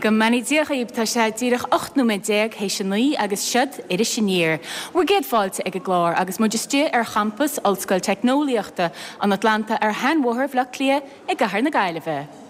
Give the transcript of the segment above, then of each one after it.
Go mbeannaí Dia dhaoib, tá sé díreach 18 nóiméad théis a 9 agus siod Iris Aniar. Bhur gcéad fáilte ag an gclár agus muid istigh ar champas Ollscoil Teicneolaíochta an Atlanta ar Sheanbhóthar Bhaile Átha Cliath i gcathair na Gaillimhe.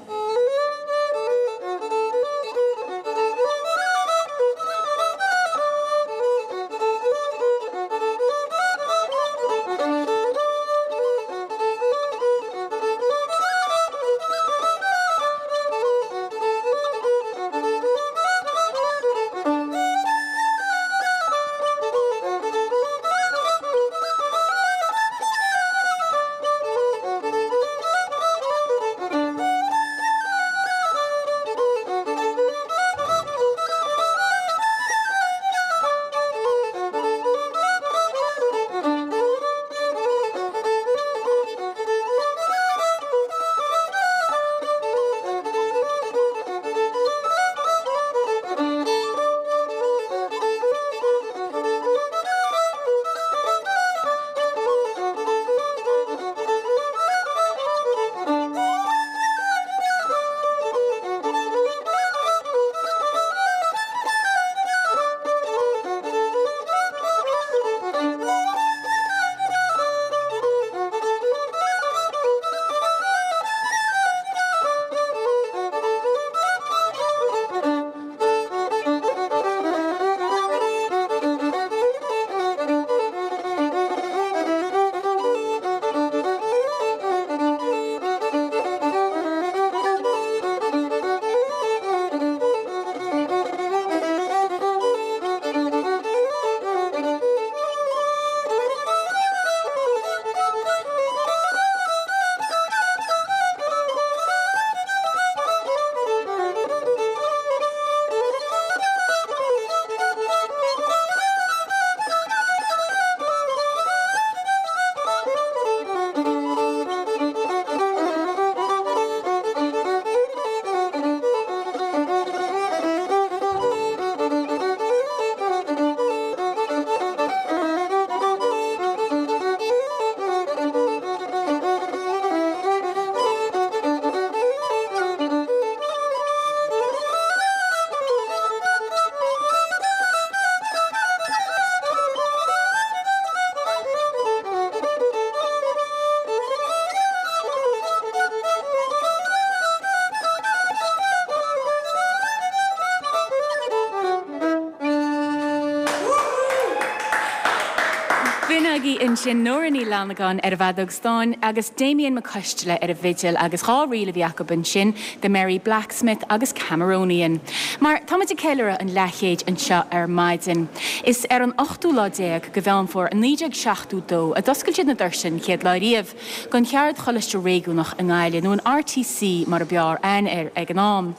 B'in agaibh ansin Nóra Ní Fhlannagáin ar an bhfeadóg stáin agus Damien Mac Coisteala ar an bhfidil agus 2 ríl a bhí acu ansin, The Merry Blacksmith agus Cameronian. Mar tá muid ag ceiliúradh an leathchéid anseo ar maidin. Is ar an ochtú lá déag de Mheán Fómhair 1972 a d'oscail siad na doirse an chéad lá riamh don Cheardcholáiste Réigiúnach i nGaillimh, nó an RTC mar a b'fhearr aithne air ag an am.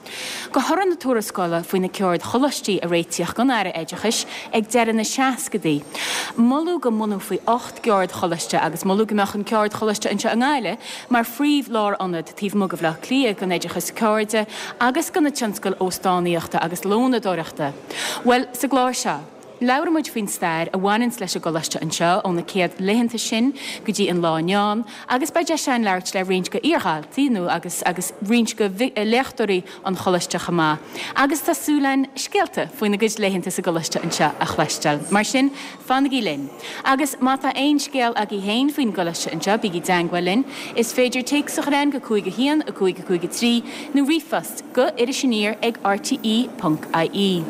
De thoradh na tuarascála faoi na ceardcholáistí a réitíodh don Aire Oideachais ag deireadh na seascadaí, moladh go mbunófaí 8 gceardcholáiste agus moladh go mbeadh an ceardcholáiste anseo i nGaillimh mar phríomh-lárionad taobh amuigh de Bhaile Átha Cliath don oideachas ceirde agus do na tionscail óstánaíochta agus lónadóireachta. Bhuel, sa gclár seo, labhróidh muid faoin stair a bhaineanns leis an gcoláiste anseo ó na céad laethanta sin go dtí an lá inniu ann agus beidh deis againn labhairt le roinnt de iardhaltaí nó agus agus roinnt de léachtóirí an choláiste chomh maith agus tá súil againn scéalta faoina gcuid laethanta sa gcoláiste anseo a chloisteáil. Mar sin, fanaigí linn! Agus má tá aon scéal agaibh féin faoin gcoláiste anseo, bígí i dteangmháil linn. Is féidir téacs a chur chugainn go 5 1 5 5 3 nó ríomhphost go irisaniar ag rte ponc ie.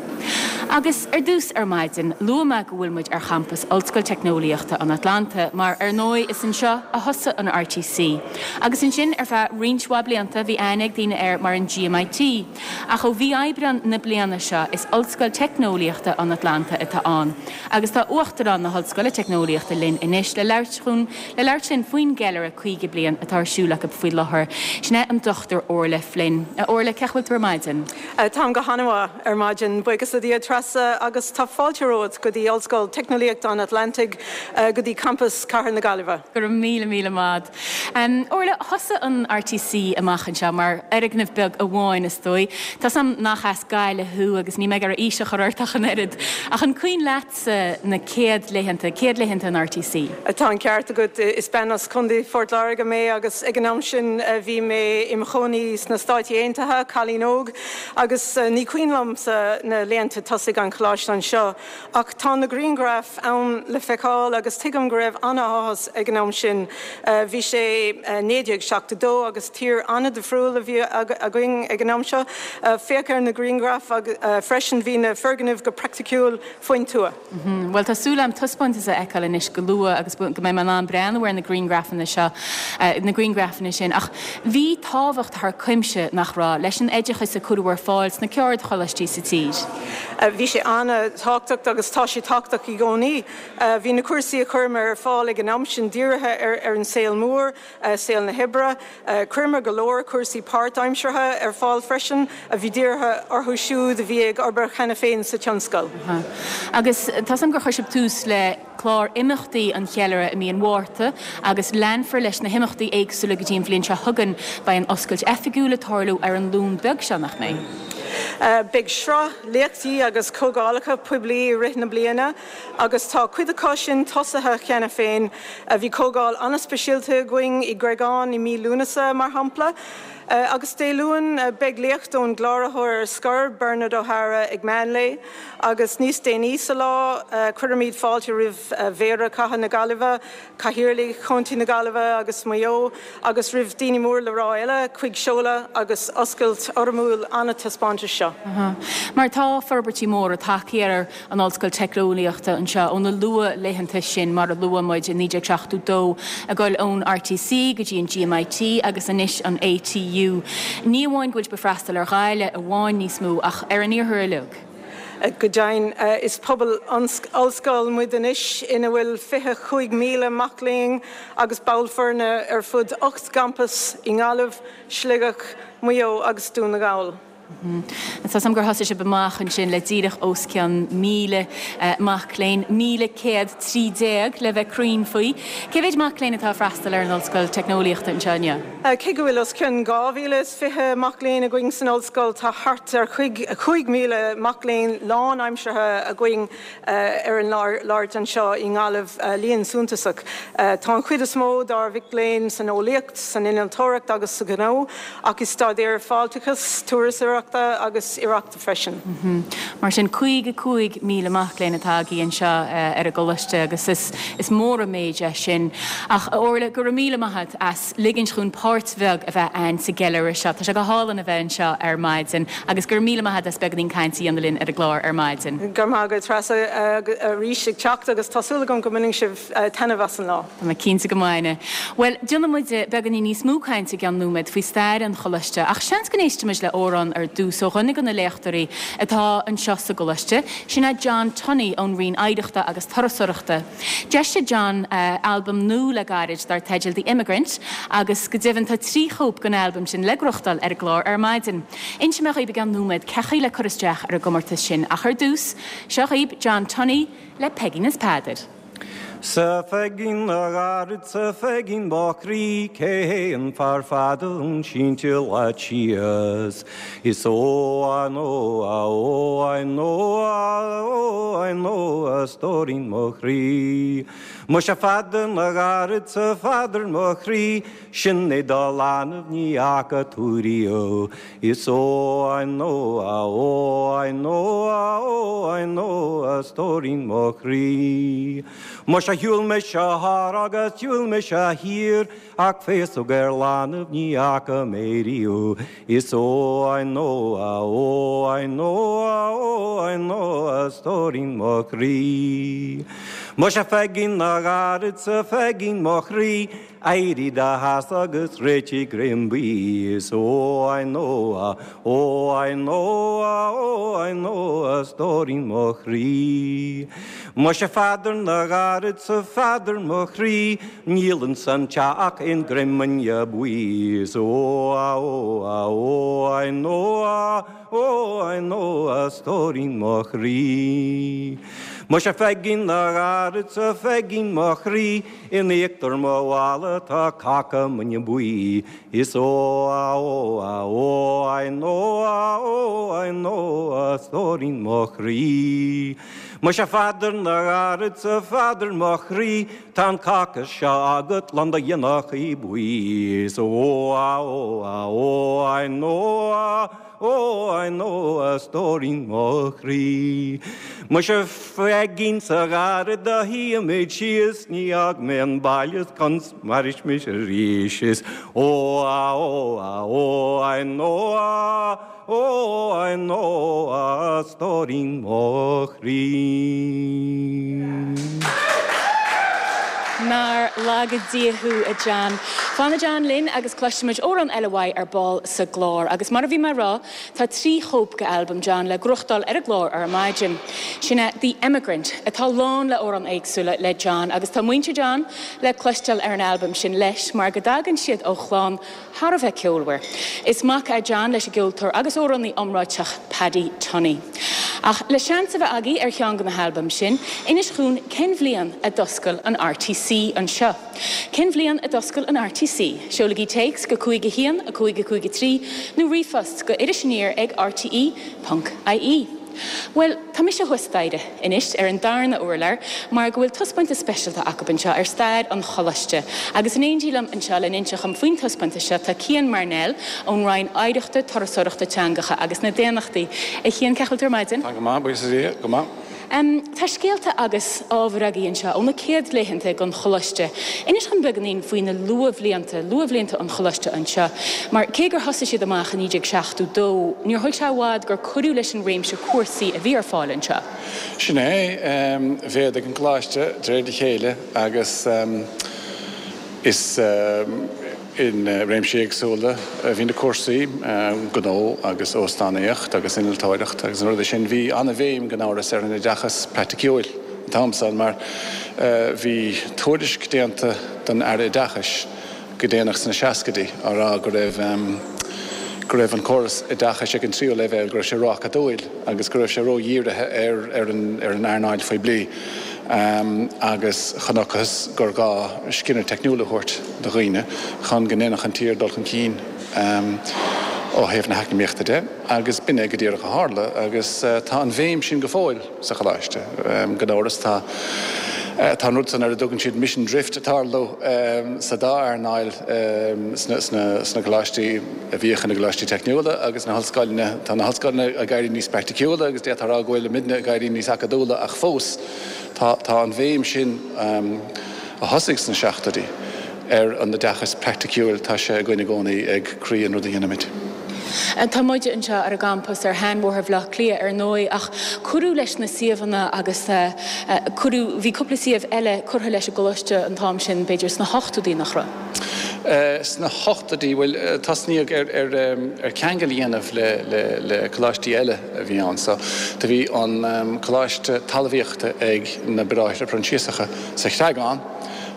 Agus ar dtús ar maidin, luaigh mé go bhfuil muid ar champas Ollscoil Teicneolaíochta an Atlanta mar, ar ndóigh, is anseo a thosaigh an RTC. Agus ansin, ar feadh roinnt mhaith blianta, bhí aithne ag daoine air mar an GMIT. Ach ó mhí Aibreán na bliana seo, is Ollscoil Teicneolaíochta an Atlanta atá ann. Agus tá Uachtarán na hOllscoile Teicneolaíochta linn anois le labhairt chun le labhairt linn faoin gceiliúradh 50 bliain atá ar siúl acu faoi láthair. Sin é an Dr Orla Flynn. A Orla, cén chaoi a bhfuil tú ar maidin? Táim go han-mhaith ar maidin, buíochas le Dia. Treasa, agus tá fáilte romhat go dtí Ollscoil Teicneolaíochta an Atlantaigh, go dtí campas Chathair na Gaillimhe. Go raibh míle míle maith agat. Orla, thosaigh an RTC amach anseo mar fhoirgneamh beag amháin, is dóigh. Tá 's a'm nach as Gaillimh thú agus níl mé ag iarraidh aois a chur ort ach an oiread. Ach an cuimhin leatsa na céad laethanta, céad laethanta an RTC? Tá an ceart agat. Is bean as Contae Phort Láirge mé agus ag an am sin bhí mé im chónaí sna Stáit Aontaithe, cailín óg, agus ní cuimhin liomsa na laethanta tosaigh an choláiste anseo. Ach tá na grianghraif ann le feiceáil agus tuigim go raibh an-áthas ag an am sin. Bhí sé 1972 agus tír an-difriúil a bhí againn ag an am seo. Féach ar na grianghraif freisin, bhí na foirgnimh go praiticiúil faoin tuath. Bhuel, tá súil agam taispeántas a fheiceáil anois go luath agus go mbeidh mé in ann breathnú ar na grianghrafanna seo, na grianghrafanna sin. Ach bhí tábhacht thar cuimse, nach raibh, leis an oideachas a cuireadh ar fáil sna ceardcholáistí sa tír? Bhí sé an-tábhachtach agus tá sé tábhachtach i gcónaí. Bhí na cúrsaí a chuireamar ar fáil ag an am sin dírithe ar an saol mór, saol na hoibre. Chuireamar go leor cúrsaí páirtaimseartha ar fáil freisin a bhí dírithe orthu siúd a bhí ag obair cheana féin sa tionscal. Agus tá 's agam gur chuir sibh tús le clár imeachtaí an cheiliúrtha i mí an Mhárta agus leanfar leis na himeachtaí éagsúla go dtí an bhliain seo chugainn. Beidh an oscailt oifigiúil ag tarlú ar an Luan beag seo, nach mbeidh? Beidh sraith léachtaí agus comhdhálacha poiblí i rith na bliana agus tá cuid acu sin tosaithe cheana féin. Bhí comhdháil an-speisialta againn i gCreagán i mí Lúnasa, mar shampla. Agus Dé Luain, beidh léacht ón gCláraitheoir ar scor, Bernard O'Hara, ag meánlae. Agus níos déanaí sa lá, cuirfimid fáilte roimh Mhéara Chathair na Gaillimhe, Cathaoirligh Chontae na Gaillimhe agus Mhaigh Eo, agus roimh daoine mór le rá eile chuig seoladh agus oscailt fhoirmiúil an taispeántais seo. Mar tá forbairtí móra tagtha ar an Ollscoil Teicneolaíochta anseo ó na luath-laethanta sin, mar a luaigh muid, i 1972, ag dul ón RTC go dtí an GMIT agus anois an ATU. Ní amháin go bhfuil sibh ag freastal ar Ghaillimh amháin níos mó ach ar an iarthar uilig. Go deimhin, is pobal ollscoile muid anois ina bhfuil 25,000 mac léinn agus ball foirne ar fud 8 gcampas i nGaillimh, Sligeach, Maigh Eo agus Dún na nGall. Tá 's agam gur thosaigh sibh amach ansin le díreach os cionn 1,000 mac léinn, 1,113 le bheith cruinn faoi. Cé mhéid mac léinn atá ag freastal ar an Ollscoil Teicneolaíochta anseo inniu? Cé go bhfuil os cionn 2,020 mac léinn againn san ollscoil, tá thart ar 5,000 mac léinn lánaimseartha againn ar an láthair anseo i nGaillimh, líon suntasach. Tá an chuid is mó dár mhic léinn san eolaíocht, san innealtóireacht agus sa ghnó, ach i staidéir fáilteachais, turasóireachta agus oidhreachta freisin. Mar sin, 55,000 mac léinn atá agaibh anseo ar an gcoláiste agus is mór an méid é sin. Ach, a Orla, go raibh míle maith agat as ligint dhúinn páirt bheag a bheith a'ainn sa gceiliúradh seo. Tá sé go hálainn a bheith anseo ar maidin agus go raibh míle maith agat as beagáinín cainte a dhéanamh linn ar an gclár ar maidin. Go raibh maith agat, Treasa, arís ag teacht agus tá súil agam go mbainfidh sibh taitneamh as an lá. Tá mé cinnte go mbainfidh. Bhuel, déanfaidh muid beagáinín níos mó cainte i gceann nóiméad faoi stair an choláiste ach seans go n-éistfidh muid le amhrán ar dtús ó dhuine de na léachtóirí atá anseo sa gcoláiste, sin é John Tunney ón Roinn Oidhreachta agus Turasóireachta. D'eisigh John albam nua le gairid dar teideal The Immigrant agus go deimhin tá 3 chóip den albam sin le gnóthachtáil ar an gclár ar maidin. Inseoidh mé dhaoibh i gceann nóiméad cén chaoi le cur isteach ar an gcomórtas sin ach ar dtús, seo dhaoibh John Tunney le Peigín is Peadar. 'S a Pheigín a gharid 's a Pheigín mo chroí cé hé an fear fada sínte leat síos Is ó a nó a ó a nó a ó a nó a stóirín mo chroí. Muise a Pheadair mo ghairid 's a Pheadair mo chroí, sin é do leanbh ní fhaca tú riamh. Is ó a nó a ó a nó a ó a nó a stóirín mo chroí. Muise shiúil mise thar agus shiúil mise thiar, Ach féasóg ar leanbh ní fhaca mé riamh, is ó a nó a ó a nó a ó a nó a stóirín mo chroí. Muise a Pheigín a ghairid 's a Pheigín mo chroí, Éirigh i do sheasamh agus réitigh greim bídh Is ó I know a, ó I know a, ó I know a stóirín mo chroí. Muise a Pheadair na gcarad 's a Pheadair mo chroí, Níl insan teach ach aon greim bainne buí Is ó a ó a ó I know a, ó I know a stóirín mo chroí. Muise a Pheigín na gcarad 's a Pheigín mo chroí, In íochtar mo mhála tá cáca bainne buí Is ó a ó a ó I know a ó I know a stóirín mo chroí. Muise a Pheadair na gcarad 's a Pheadair mo chroí Tá an cáca seo agat lán de ghionnachaí buí Is ó a ó a ó I know a ó I know a stóirín mo chroí. Muise a Pheigín 's a chara do shuífimid síos Ní fhágfaidh mé an baile conas mairfidh mise arís Is ó a ó a ó I know a ó I know a stóirín mo chroí. Nár laga Dia thú, a John. Fanfaidh John linn agus cloisfimid amhrán eile uaidh ar ball sa gclár. Agus mar a bhí mé a rá, tá 3 chóip de albam John le gnóthachtáil ar an gclár ar maidin. Sin é The Emigrant, atá lán le amhráin éagsúla le John agus tá muintir John le cloisteáil ar an albam sin leis mar go dtagann siad ó chlann thar a bheith ceolmhar. Is mac é John leis an gceoltóir agus amhránaí iomráiteach Paddy Tunney. Ach le seans a bheith agaibh ar cheann de na halbaim sin, inis dhúinn cén bhliain a d'oscail an RTC anseo? Cén bhliain a d'oscail an RTC? Seolaigí téacs go 5 1 5 5 3 nó ríomhphost go irisaniar ag rte ponc ie. Bhuel, tá mise thuas staighre anois ar an darna urlár mar go bhfuil taispeántas speisialta acu anseo ar stair an choláiste. Agus in éindí liom anseo le n-inseacht dhom faoin taispeántas seo tá Cian Marnell ón Roinn Oidhreachta, Turasóireachta, Teangacha agus na Daonnachtaí. A Chian, cén chaoi a bhfuil tú ar maidin? Tá go maith, buíochas le Dia, go maith. Tá scéalta agus ábhar agaibh anseo ó na céad laethanta den choláiste. Inis dhom beagáinín faoi na luathbhlianta, luathbhlianta an choláiste anseo, mar cé gur thosaigh siad amach i 1972, níor thóg sé i bhfad gur cuireadh leis an réimse cúrsaí a bhí ar fáil anseo. Sin é. Mhéadaigh an coláiste de réir a chéile agus is. In réimsí éagsúla a bhí na cúrsaí, gnó agus óstánaíocht agus innealtóireacht agus na rudaí sin. Bhí an-bhéim gan amhras ar an oideachas praiticiúil an t-am san mar bhí tuairisc déanta don Aire Oideachais go déanach sna seascaidí á rá go raibh go raibh an córas oideachais ag an tríú leibhéal, go raibh sé ró-acadúil agus go raibh sé ró-dhírithe ar ar an ar an earnáil phoiblí. Agus chonacthas gur gá scileanna teicniúla a thabhairt do dhaoine chun go ndéanfadh an tír dul chun cinn ó thaobh na heacnamaíochta de, agus b'in é go díreach a tharla. Agus tá an bhéim sin go fóill sa choláiste. Gan amhras tá tá an rud san ar a dtugann siad mission drift ag tarlú sa dá earnáil sna coláistí a bhíodh ina gcoláistí teicniúla agus na hollscoileanna. Tá na hollscoileanna ag éirí níos praiticiúla agus d'fhéadfá a rá go bhfuil muidne ag éirí níos acadúla ach fós tá tá an bhéim sin a thosaigh sna seachtóidí ar an oideachas praiticiúil, tá sé againn i gcónaí ag croí an rud a dhéanaimid. Tá muide anseo ar an gcampas ar Sheanbhóthar Bhaile Átha Cliath ar ndóigh ach cuireadh leis na suíomhanna agus cuireadh, bhí cúpla suíomh eile curtha leis an gcoláiste an t-am sin, b'fhéidir sna hochtóidí, nach raibh? Sna hochtóidí, bhuel, tosnaíodh ar ar ceangal a dhéanamh le le le coláistí eile a bhí ann. So, do bhí an Coláiste Talmhaíochta ag na Bráithre Proinsiasacha sa Chreagán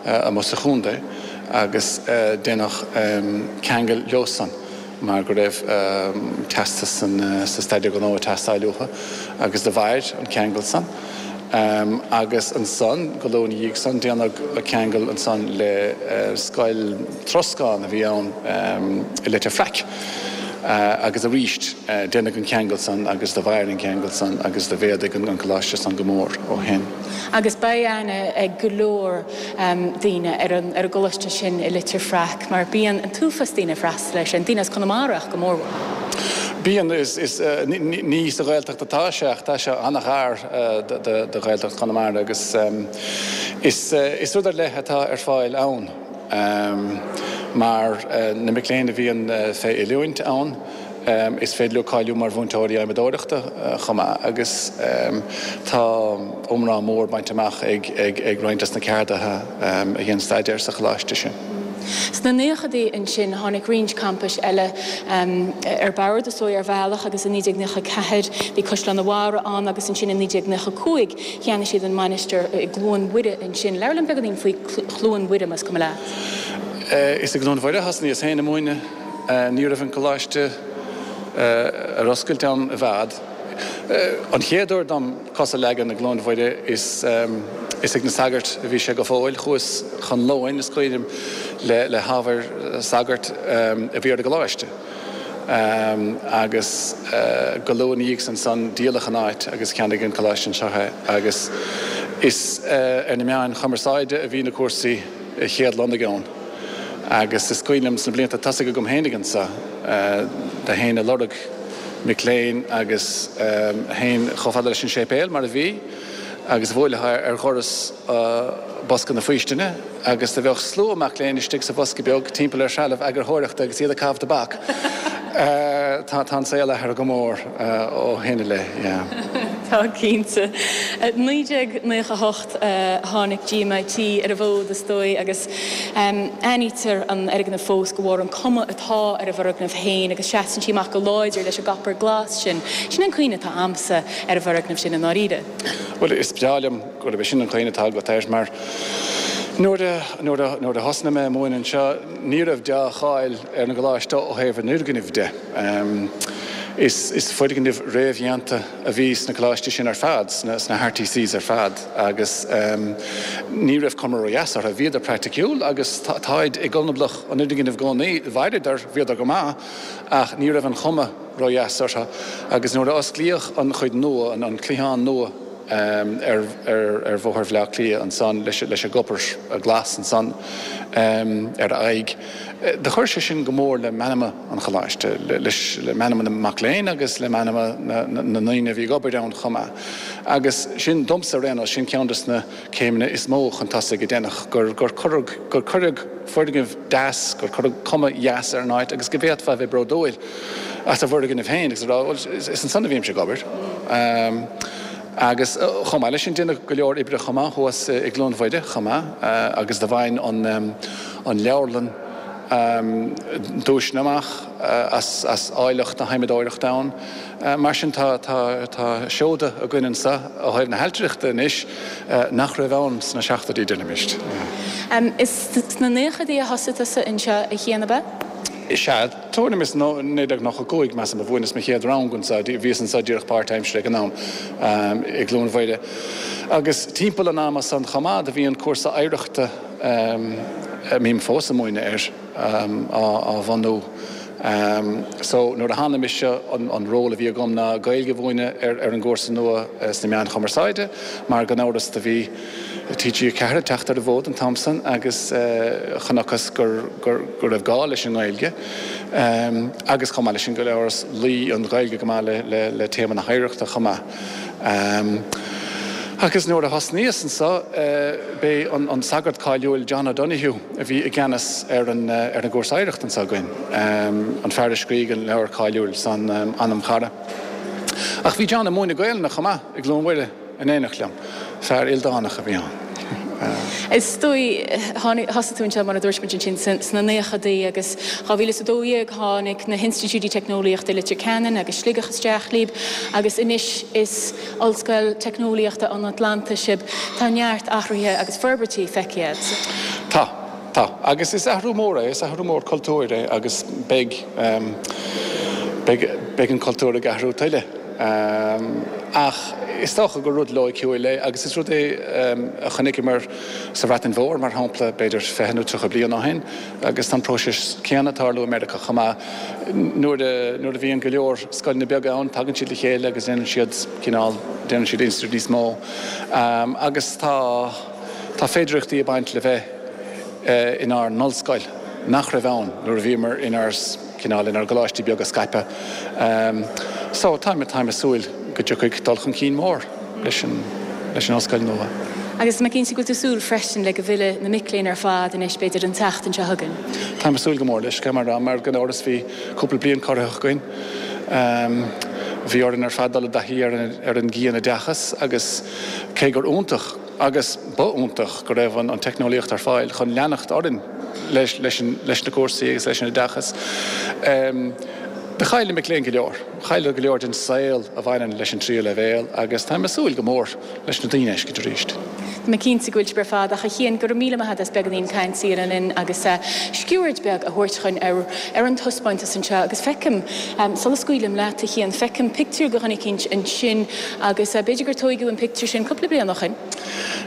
amuigh sa chontae agus déanadh ceangal leosan mar go raibh teastas sa Staidéar Gnó ag teastáil uathu agus do mhair an ceangal san. Agus ansan, go luath ina dhiaidh san, déanadh ceangal ansan le scoil troscán a bhí ann i Leitir Fraic agus arís déanadh an ceangal san agus do mhair an ceangal san agus do mhéadaigh an coláiste san go mór ó shin. Agus beidh aithne ag go leor daoine ar an ar an gcoláiste sin i Leitir Fraic mar bíonn an t-uafás daoine ag freastal air sin, daoine as Conamara ach go mórmhór. Bíonn, is, is, ní sa Ghaeltacht atá sé ach tá sé an-ghar do Ghaeltacht Chonamara agus is, is rud ar leith atá ar fáil ann mar na mic léinn a bhíonn fé oiliúint ann, Is féidir leo cáiliú mar mhúinteoirí adhmadóireachta chomh maith agus tá iomrá mór bainte amach ag roinnt des na ceardaithe a dhéan staidéar sa choláiste sin. Sna naochadaí ansin tháinig roinnt campais eile ar bord, is dóigh, ar bhealach agus i 1994 bhí Caisleán an Bharraigh ann agus ansin i 1995 cheannaigh siad an Mainistir i gCluain Mhuire ansin. Labhair liom beagáinín faoi Chluain Mhuire más cuma leat. Is i gCluain Mhuire a thosnaíos féin ag múineadh. Ní raibh an coláiste ar oscailt ann i bhfad. An chéad uair dom cos a leagan i gCluain Mhuire is is ag na sagairt a bhí sé go fóill. Chuas chun lóin, is cuimhin liom, le hábhair sagairt a bhí ar an gcoláiste agus go luath ina dhiaidh san san díoladh an áit agus cheannaigh an coláiste anseo é agus is ar na meáin chumarsáide a bhí na cúrsaí a chéad-lonnaigh ann. Agus is cuimhin liom sna blianta tosaigh agam fhéinig anso, do théinn ag lorg mic léinn agus théinn chomh fada leis an séipéal, mar a bhí, agus bhuailfeá ar dhoras bosca na faoistine agus do bheadh slua mac léinn istigh sa bhosca beag timpeall ar threalamh eagarthóireachta agus iad ag caitheamh tobac. Tá an saol athraithe go mór ó shin i leith, yeah. Tá, cinnte. 1998 tháinig GMIT ar an bhfód, is dóigh, agus aithnítear an fhoirgneamh fós de bharr an cuma atá ar an bhfoirgneamh féin agus seasann sí amach go láidir leis an gcopar glas sin. Sin an cuimhne atá a'msa ar an bhfoirgneamh sin i ndáiríre. Bhuel, is breá liom gurb é sin an chuimhne atá agat air mar nuair a, nuair a, nuair a thosnaigh mé ag múineadh anseo ní raibh deá-cháil ar an gcoláiste ó thaobh an fhoirgnimh de. Is, is foirgnimh réamhdhéanta a bhí sna coláistí sin ar fad, sna, sna RTCs ar fad agus ní raibh cuma ró-dheas orthu. Bhíodar praiticiúil agus táid i gconablach an fhoirgnimh i gcónaí. Mhaireadar, bhíodar go maith ach ní raibh an chuma ró-dheas orthu agus nuair a osclaíodh an chuid nua, an cliathán nua ar, ar, ar Bhóthar Bhaile Átha Cliath ansan leis, leis an gcopar glas ansan ar a aghaidh, Do chuir sé sin go mór le meanma an choláiste, leis, le meanma na mac léinn agus le meanma na ndaoine a bhí ag obair ann chomh maith. Agus sin, domsa ar aon nós, sin ceann des na céimeanna is mó chun tosaigh a deineadh, gur, gur cuireadh, gur cuireadh foirgneamh deas, gur cuireadh cuma dheas ar an áit agus go bhféadfá a bheith bródúil as do bhfoirgneamh féin agus a rá, bhuel, is ansan a bhímse ag obair. Agus chomh maith leis sin, deineadh go leor oibre chomh maith thuas i gCluain Mhuire chomh maith agus do bhain an leabharlann duaiseanna amach as áilleacht na hadhmadóireachta ann. Mar sin tá seoda againn anso ó thaobh na hailtireachta anois nach raibh ann sna seachtóidí, deirimis. Is sna naochadaí a thosaigh tusa anseo a Chian, ab ea? Is ea. Tuairim is 1995, measaim, a mhúineas mo chéad rang anseo. Bhíos anseo díreach páirtaimseartha ag an am, i gCluain Mhuire. Agus timpeall an ama san chomh maith, do bhí an cúrsa oidhreachta, a mbím fós ag múineadh air, á bhunú. So, nuair a tháinig mise, an ról a bhí agam ná Gaeilge a mhúineadh ar an gcúrsa nua sna meáin chumarsáide, mar gan amhras do bhí TG4 ag teacht ar an bhfód an t-am san agus chonacthas go raibh gá leis an nGaeilge agus chomh maith leis sin gan amhras luigh an Ghaeilge go maith le téama na hoidhreachta chomh maith. Agus nuair a thosnaíos anso b'é an sagart cáiliúil John O'Donoghue a bhí i gceannas ar an gcúrsa oidhreachta anso againn, an fear a scrígh an leabhar cáiliúil san Anam Cara. Ach bhí John ag múineadh Gaelainne chomh maith i gCluain Mhuire. In éineacht liom. Fear ildánach a bhí ann. Is dóigh, tháinig, thosaigh tú anseo, mar a dúirt muid ansin, sna naochadaí agus 2012 tháinig na hinstitiúidí teicneolaíochta i Leitir Ceanainn agus Sligeach isteach libh agus anois is Ollscoil Teicneolaíochta an Atlantaigh sibh. Tá neart athruithe agus forbairtí feicthe agat. Tá. Tá. Agus is athrú mór é, is athrú mór cultúir é agus beidh, beidh, beidh an cultúr ag athrú tuilleadh. Ach is dócha gur rud loighciúil é agus is rud é a chonaiceamar sa Bhreatain Mhór, mar shampla, b'fhéidir 20 nó 30 bliain ó shin agus tá an próiseas céanna ag tarlú i Meiriceá chomh maith. Nuair a, nuair a bhíonn go leor scoileanna beaga ann, tagann siad le chéile agus déanann siad cineál, déanann siad institiúid níos mó. Agus tá, tá féidearthachtaí ag baint le bheith inár n-ollscoil nach raibh ann nuair a bhíomar inár cineál inár gcoláistí beaga scaipthe. So, táim, táim ag súil go dtiocfaidh dul chun cinn mór leis an, leis an ollscoil nua. Agus tá mé cinnte go bhfuil tú ag súil freisin le go bhfillfidh na mic léinn ar fad anois, b'fhéidir an tseachtain seo chugainn. Táim ag súil go mór leis, caithfidh mé a rá, mar gan amhras bhí cúpla bliain corraitheach againn. Bhí orainn ar fad dul i dtaithí ar an, ar an gcianoideachas agus cé gur iontach. Agus ba iontach go raibh an teicneolaíocht ar fáil chun leanacht orainn leis leis na cúrsaí agus leis an oideachas. Do chaill na mic léinn go leor. Chailleadar go leor den saol a bhaineann leis an tríú leibhéal agus táim ag súil go mór leis na daoine a fheiscint arís. Tá mé cinnte go bhfuil sibh ar fad ach a Chian, go raibh míle maith agat as beagáinín cainte a dhéanamh linn agus sciuird beag a thabhairt chugainn ar ar an taispeántas anseo agus feicim, sula scaoilim leat a Chian, feicim pictiúr de dhuine eicínt ansin agus b'fhéidir gur tóigeadh an pictiúr sin cúpla bliain ó shin.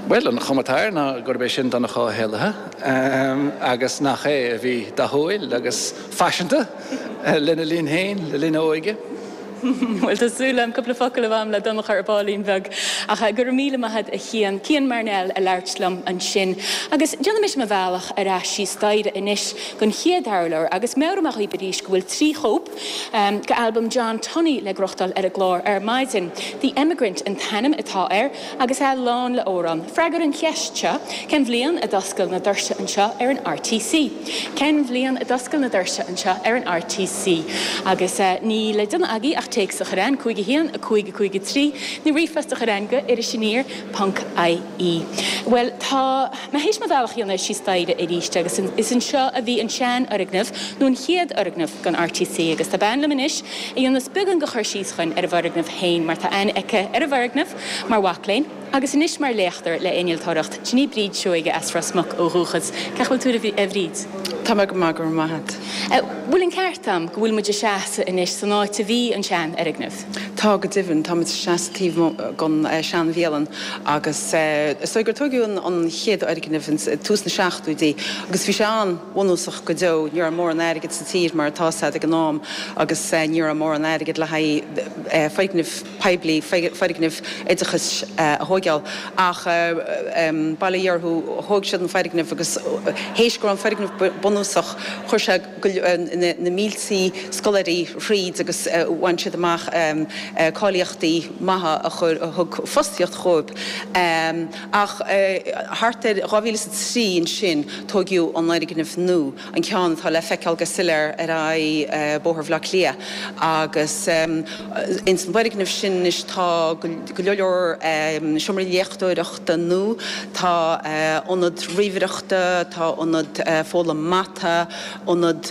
Bhuel, an chuma atá air ná gurb é sin Donncha Ó hÉallaithe agus nach é a bhí dathúil agus faiseanta lena linn féin, le linn a óige. Bhuel, tá súil agam cúpla focal a bheith agam le Donncha ar baillín beag. Ach go raibh míle maith agat a Chian. Cian Marnell ag labhairt liom ansin. Agus déanfaidh mise mo bhealach ar ais síos staighre anois don chéad urlár agus meabhróidh mé dhaoibh arís go bhfuil 3 chóip de albam John Tunney le gnóthachtáil ar an gclár ar maidin. The Emigrant an t-ainm atá air agus é lán le amhráin. Freagair an cheist seo, cén bhliain a d'oscail na doirse anseo ar an RTC? Cén bhliain a d'oscail na doirse anseo ar an RTC? Agus níl le déanamh agaibh ach téacs a chur chugainn, 5 1 5 5 3, nó ríomhphost a chur chugainn go irisaniar ponc ie. Bhuel, tá mé théis mo bhealach a dhéanamh síos staighre arís agus is anseo a bhí an seanfhoirgneamh, nó an chéad fhoirgneamh den RTC agus tá bean liom anois a dhéanfas beagán de chur síos chugainn ar an bhfoirgneamh féin mar tá aithne aici ar an bhfoirgneamh mar mhac léinn agus anois mar léachtóir le innealtóireacht. Sin í Bríd Seoige as Ros Muc ó dhúchas. Cén chaoi a bhfuil tú a Bhríd? Tá mé go maith, go raibh maith agat. Bhfuil an ceart a'm go bhfuil muid ag seasamh anois san áit a bhí an seanfhoirgneamh? Tá, go deimhin. Tá muid ag seasamh taobh amuigh den seanbhialann agus is dóigh gur tóigeadh an chéad fhoirgneamh ins tús na seachtóidí agus bhí sé an-bhunúsach go deo. Ní raibh mórán airgid sa tír mar atá 's a'd ag an am agus ní raibh mórán airgid le haghaidh foirgnimh poiblí, foirgnimh oideachais a thóigeáil. Ach bail ó Dhia orthu, thóig siad an foirgneamh agus théis go raibh an foirgneamh bunúsach, chuir sé na míltí scoláirí thríd agus bhain siad amach cáilíochtaí maithe a chuir, a thug fostaíocht dhóibh. Ach thart ar 2003 ansin tóigeadh an fhoirgneamh nua. an ceann atá le feiceáil go soiléir ar aghaidh Bóthar Bhaile Átha Cliath agus ins an bhfoirgneamh sin anois tá go leor seomraí léachtóireachta nua, tá ionad ríomhaireachta, tá ionad foghlaim mata, ionad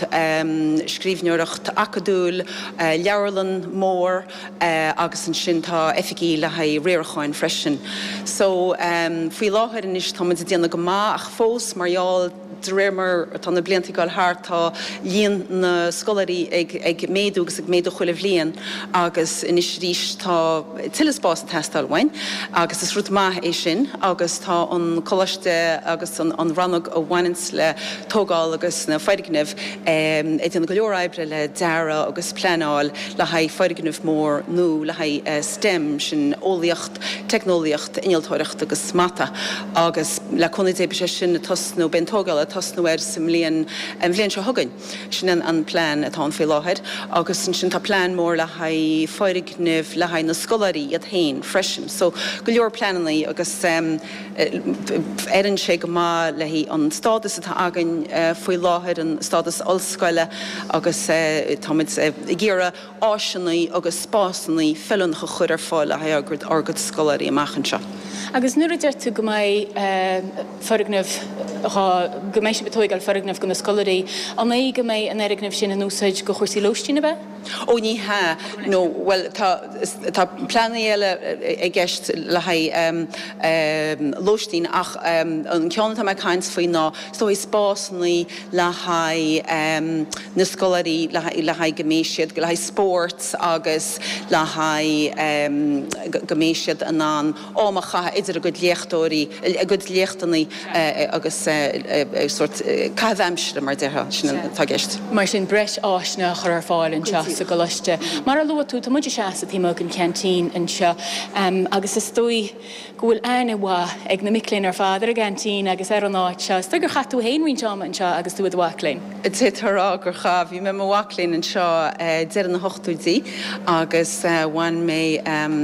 scríbhneoireacht acadúil, leabharlann mór agus ansin tá oifigí le haghaidh riaracháin freisin. So faoi láthair anois tá muid ag déanamh go maith ach fós mar gheall, De réir mar atá na blianta ag dul thart, tá líon na scoláirí ag méadú agus ag méadú chuile bhliain agus anois arís tá tuilleadh spáis ag teastáil uainn agus is rud maith é sin agus tá an coláiste agus an rannóg a bhaineanns le tógáil agus na foirgnimh ag déanamh go leor oibre le dearadh agus pleanáil le haghaidh foirgneamh mór nua le haghaidh STEM, sin eolaíocht, teicneolaíocht, innealtóireacht agus mata agus le cúnamh Dé beidh sé sin ag tosnú, beidh an tógáil ag tosnú air sa mbliain, an bhliain seo chugainn. Sin an plean atá ann faoi láthair agus ansin tá plean mór le haghaidh foirgnimh le haghaidh na scoláirí iad féin freisin. So go leor pleanannaí agus oireann sé go maith le haghaidh an stádas atá againn faoi láthair, an stádas ollscoile agus táimid ag iarraidh áiseanna agus spásanna feiliúnacha a chur ar fáil le haghaidh ár gcuid scoláirí amach anseo. Agus nuair a deir tú go mbeidh foirgneamh dhá, go mbeidh sibh ag tóigeáil foirgneamh do na scoláirí, an é go mbeidh an fhoirgneamh sin in úsáid do chúrsaí lóistín, ab ea? Ó ní hea, nó, bhuel, tá, tá pleananna eile i gceist le haghaidh lóistín ach an ceann atá mé ag caint faoi ná is dóigh spásanna le haghaidh na scoláirí, le haghaidh go mbeidh siad, le haghaidh spóirt agus le haghaidh go mbeidh siad in ann am a chaitheamh idir a gcuid léachtóirí, a gcuid léachtanna agus sórt caitheamh aimsire mar a déarfá, sin atá i gceist. Mar sin, breis áiseanna a chur ar fáil anseo sa gcoláiste. Mar a luaigh tú, tá muid ag seasamh taobh amuigh den cheaintín anseo agus is dóigh, go bhfuil aithne mhaith ag na mic léinn ar fad ar an gceaintín agus ar an áit seo. Is dóigh gur chaith tú féin roinnt ama anseo agus tú i do mhac léinn. D'fhéadfá a rá gur chaith. Bhí mé i mo mhac léinn anseo deireadh na hochtóidí agus bhain mé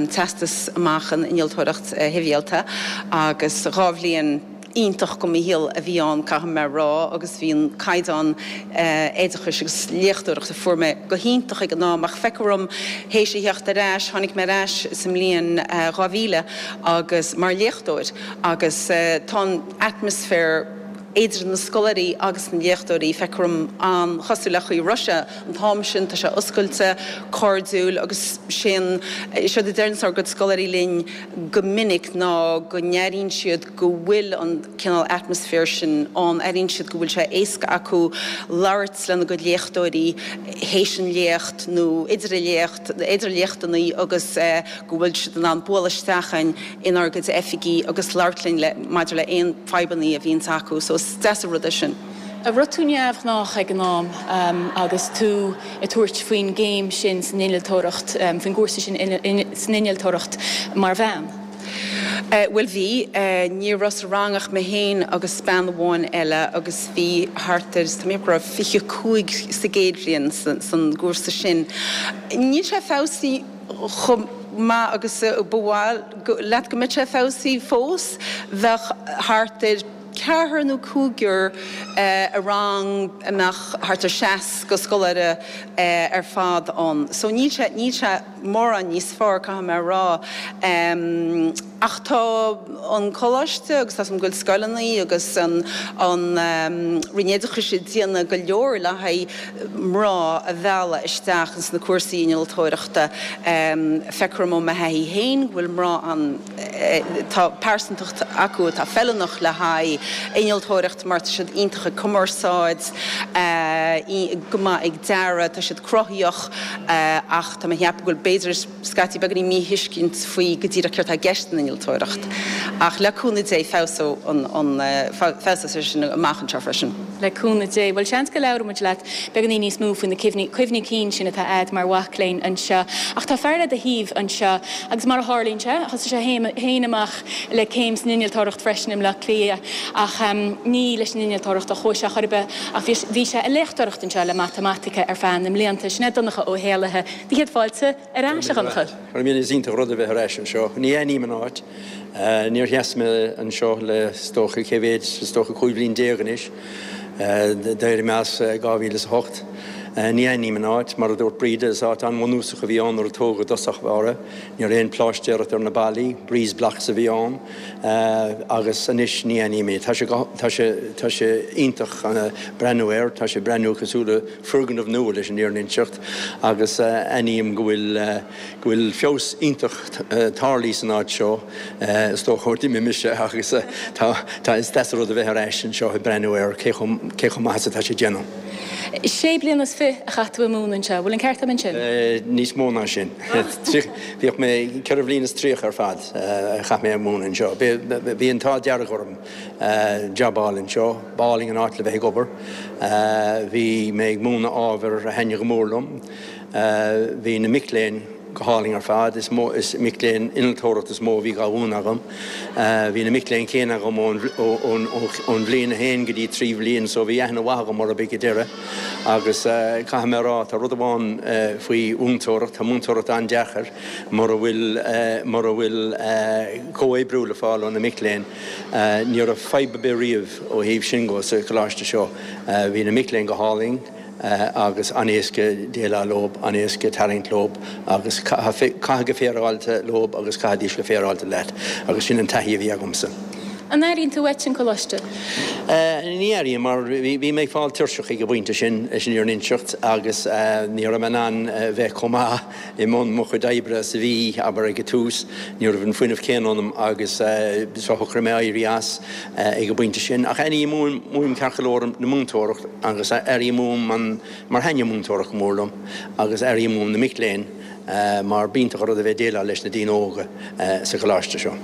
teastas amach in innealtóireacht shibhialta agus dhá bhliain. iontach de mo shaol a bhí ann, caithfidh mé a rá, agus bhí an caighdeán oideachais agus léachtóireachta a fuair mé go hiontach ag an am. Ach feictear dom, théis a theacht ar ais, tháinig mé ar ais sa mbliain 2000 agus mar léachtóir agus tá an atmaisféar idir na scoláirí agus na léachtóirí, feictear dom, an-chosúil le chaoi a raibh sé an t-am sin, tá sé oscailte, cairdiúil agus sé an, séard a deireanns ár gcuid scoláirí linn go minic ná go n-airíonn siad go bhfuil an cineál atmaisféar sin ann, airíonn siad go bhfuil sé éasca acu labhairt lena gcuid léachtóirí théis an léacht nó idir an léacht, idir léachtanna agus go bhfuil siad in ann bualadh isteach chugainn inár gcuid oifigí agus labhairt linn le maidir le aon fadhbanna a bhíonns acu so is deas an rud é sin. An raibh tú neamhghnách ag an am agus tú ag tabhairt faoin gcéim sin san innealtóireacht, faoin gcúrsa sin san innealtóireacht mar bhean? Bhuel bhí. Ní raibh sa rang ach mé féin agus bean amháin eile agus bhí thart ar, tá mé ag ceapadh go raibh 25 sa gcéad bhliain san gcúrsa sin. Níl sé feabhsaithe chomh maith agus ba mhaith leat go mbeadh sé feabhsaithe fós. Bheadh thart ar ceathrar nó cúigear i rang a mbeadh thart ar 60 scoláire ar fad ann. So níl sé, níl sé mórán níos fearr, caithfidh mé a rá. Ach tá an coláiste agus tá a fhios agam go bhfuil scoileanna agus an Roinn Oideachais ag déanamh go leor le haghaidh mná a mhealladh isteach ins na cúrsaí innealtóireachta. Feictear dom ó mo thaithí féin go bhfuil mná an, tá pearsantacht acu atá feiliúnach le haghaidh innealtóireacht mar tá siad iontach ag cumarsáid, go maith ag dearadh, tá siad cruthaíoch ach tá mé a cheapadh go bhfuil b'fhéidir scaití beagáinín míthuiscint faoi go díreach céard tá i gceist san innealtóireacht. Ach le cúnamh Dé feabhsóidh an, feabhsóidh sé sin amach anseo freisin. Le cúnamh Dé. Bhuel, seans go labhróidh muid leat beagáinín níos mó faoi na cuimhní, cuimhní cinn sin atá a'd mar mhac léinn anseo. Ach tá fear le do thaobh anseo agus mar a tharlaíonn sé, thosaigh sé féin amach le céim san innealtóireacht freisin i mBleá Cliath ach ní leis an innealtóireacht a chuaigh sé chor ar bith ach bhí, bhí sé ag léachtóireacht anseo le matamaitice ar feadh na mblianta. Sin é Donncha Ó hÉallaithe. Do chéad fáilte ar ais, a Dhonncha. Go raibh míle, is iontach an rud a bheith ar ais anseo. Ní aithním an áit. Níor sheas mé anseo le, is dócha, cé mhéad, is dócha 15 bhliain anois. D'éirigh mé as i 2008. Ní aithním an áit. Mar a dúirt Breda, is áit an-bhunúsach a bhí ann nuair a tógadh i dtosach báire. Ní raibh aon phláistéireacht ar na ballaí, breeze blocks a bhí ann agus anois ní aithním é. Tá sé, tá sé, tá sé iontach breathnú air, tá sé breathnú cosúil le foirgneamh nua leis an fhírinne a inseacht agus aithním go bhfuil, go bhfuil feabhas iontach tarlaithe san áit seo, is dócha ó d'imigh mise agus tá, tá, is deas an rud a bheith ar ais anseo ag breathnú air cé chomh, cé chomh maith is atá sé déanamh. Sé bliana is fi a chaith tú ag múineadh anseo, bhfuil an ceart agam ansin? Níos mó ná sin. Bhíodh mé, ceithre bhliain is tríocha ar fad a chaith mé ag múineadh anseo. Bhí an t-ádh dearg orm jab a fháil anseo. B'álainn an áit le bheith ag obair. Bhí mé ag múineadh ábhair a thaitnigh go mór liom. Bhí na mic léinn go hálainn ar fad. Is mó, is mic léinn innealtóireachta is mó a bhí dhá mhúineadh agam. Bhí na mic léinn céanna agam ón, ón, ón bhliain a haon go dtí trí bhliain so bhí aithne mhaith agam orthu ag an deireadh. Agus caithfidh mé a rá, tá rud amháin faoi mhúinteoireacht, tá múinteoireacht an-deacair mura bhfuil, mura bhfuil comhoibriú le fáil ó na mic léinn. Ní raibh fadhb ar bith riamh ó thaobh sin dhó sa choláiste seo. Bhí na mic léinn go hálainn agus an-éasca déileáil leo, an-éasca tarraingt leo agus caitheamh go féaráilte leo agus chaithfidís go féaráilte leat agus sin an taithí a bhí agamsa. An airíonn tú uait an coláiste? Ní airím mar bhí mé ag fáil tuirseach ag an bpointe sin, leis an fhírinne a inseacht, agus ní raibh mé in ann bheith chomh maith i mbun mo chuid oibre is a bhí, abair, ag an tús. Ní raibh an fuinneamh céanna ionam agus so shocraigh mé éirí as ag an bpointe sin. Ach airím uaim, uaim ceart go leor na múinteoireacht agus airím uaim an, mar thaitnigh múinteoireacht go mór liom agus airím uaim na mic léinn. mar b'iontach an rud a bheith ag déileáil leis na daoine óga sa choláiste seo.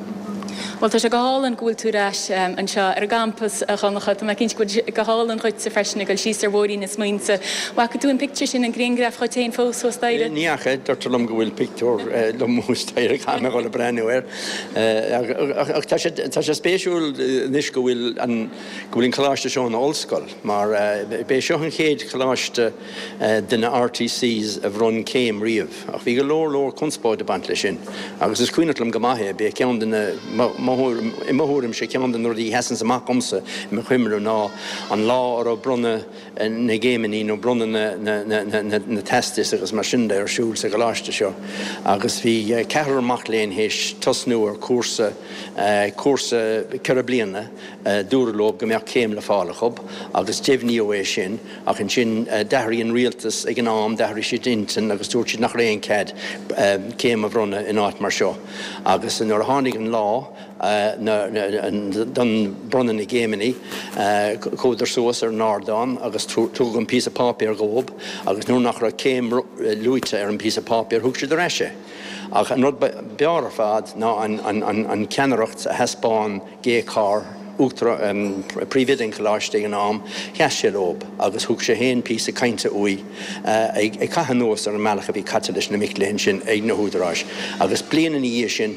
Bhuel, tá sé go hálainn go bhfuil tú ar ais anseo ar an gcampas, a Dhonncha. Tá mé cinnte go bhfuil sé go hálainn dhuitse freisin ag dul síos ar bhóithrín na smaointe. Bhfaca tú an pictiúr sin, an grianghraf dhuit féin fós thuas staighre? Ní fhaca. Deirtear liom go bhfuil pictiúr liom thuas staighre, caithfidh mé a dhul ag breathnú air. Ach tá sé, tá sé spéisiúil anois go bhfuil an, go bhfuil an coláiste seo ina ollscoil mar b'é seo an chéad choláiste, de na RTCs a bhronn céim riamh, ach bhí go leor leor conspóid ag baint leis sin, agus is cuimhneach liom go maith é, b'é ceann de na, mo. mo thuairim, i mo thuairimse, ceann de na rudaí a sheasanns amach dhomsa i mo chuimhne ná an lá a raibh bronnadh na gcéimeanna nó bronnadh na teastas agus mar sin de ar siúl sa gcoláiste seo agus bhí ceathrar mac léinn théis tosnú ar chúrsa, cúrsa 4 bliana, dúradh leo go mbeadh céim le fáil acu agus deimhníodh é sin ach ansin d'athraigh an rialtas ag an am, d'athraigh siad intinn agus dúirt siad nach raibh aon cead céim a bhronnadh in áit mar seo agus nuair a tháinig an lá don bronnadh na gcéimeanna, chuadar suas ar an ardán agus tugadh an píosa páipéir dhóibh agus nuair nach raibh céim luaite ar an bpíosa páipéir thug siad ar ais é. Ach an rud b'fhearr ar fad ná an ceannaireacht a thaispeáin Gay Carr, Uachtarán, Príomhoide an Choláiste ag an am, sheas sé leob agus thug sé féin píosa cainte uaidh ag caitheamh anuas ar an mbealach a bhí caite leis na mic léinn sin ag na húdaráis agus bliain ina dhiaidh sin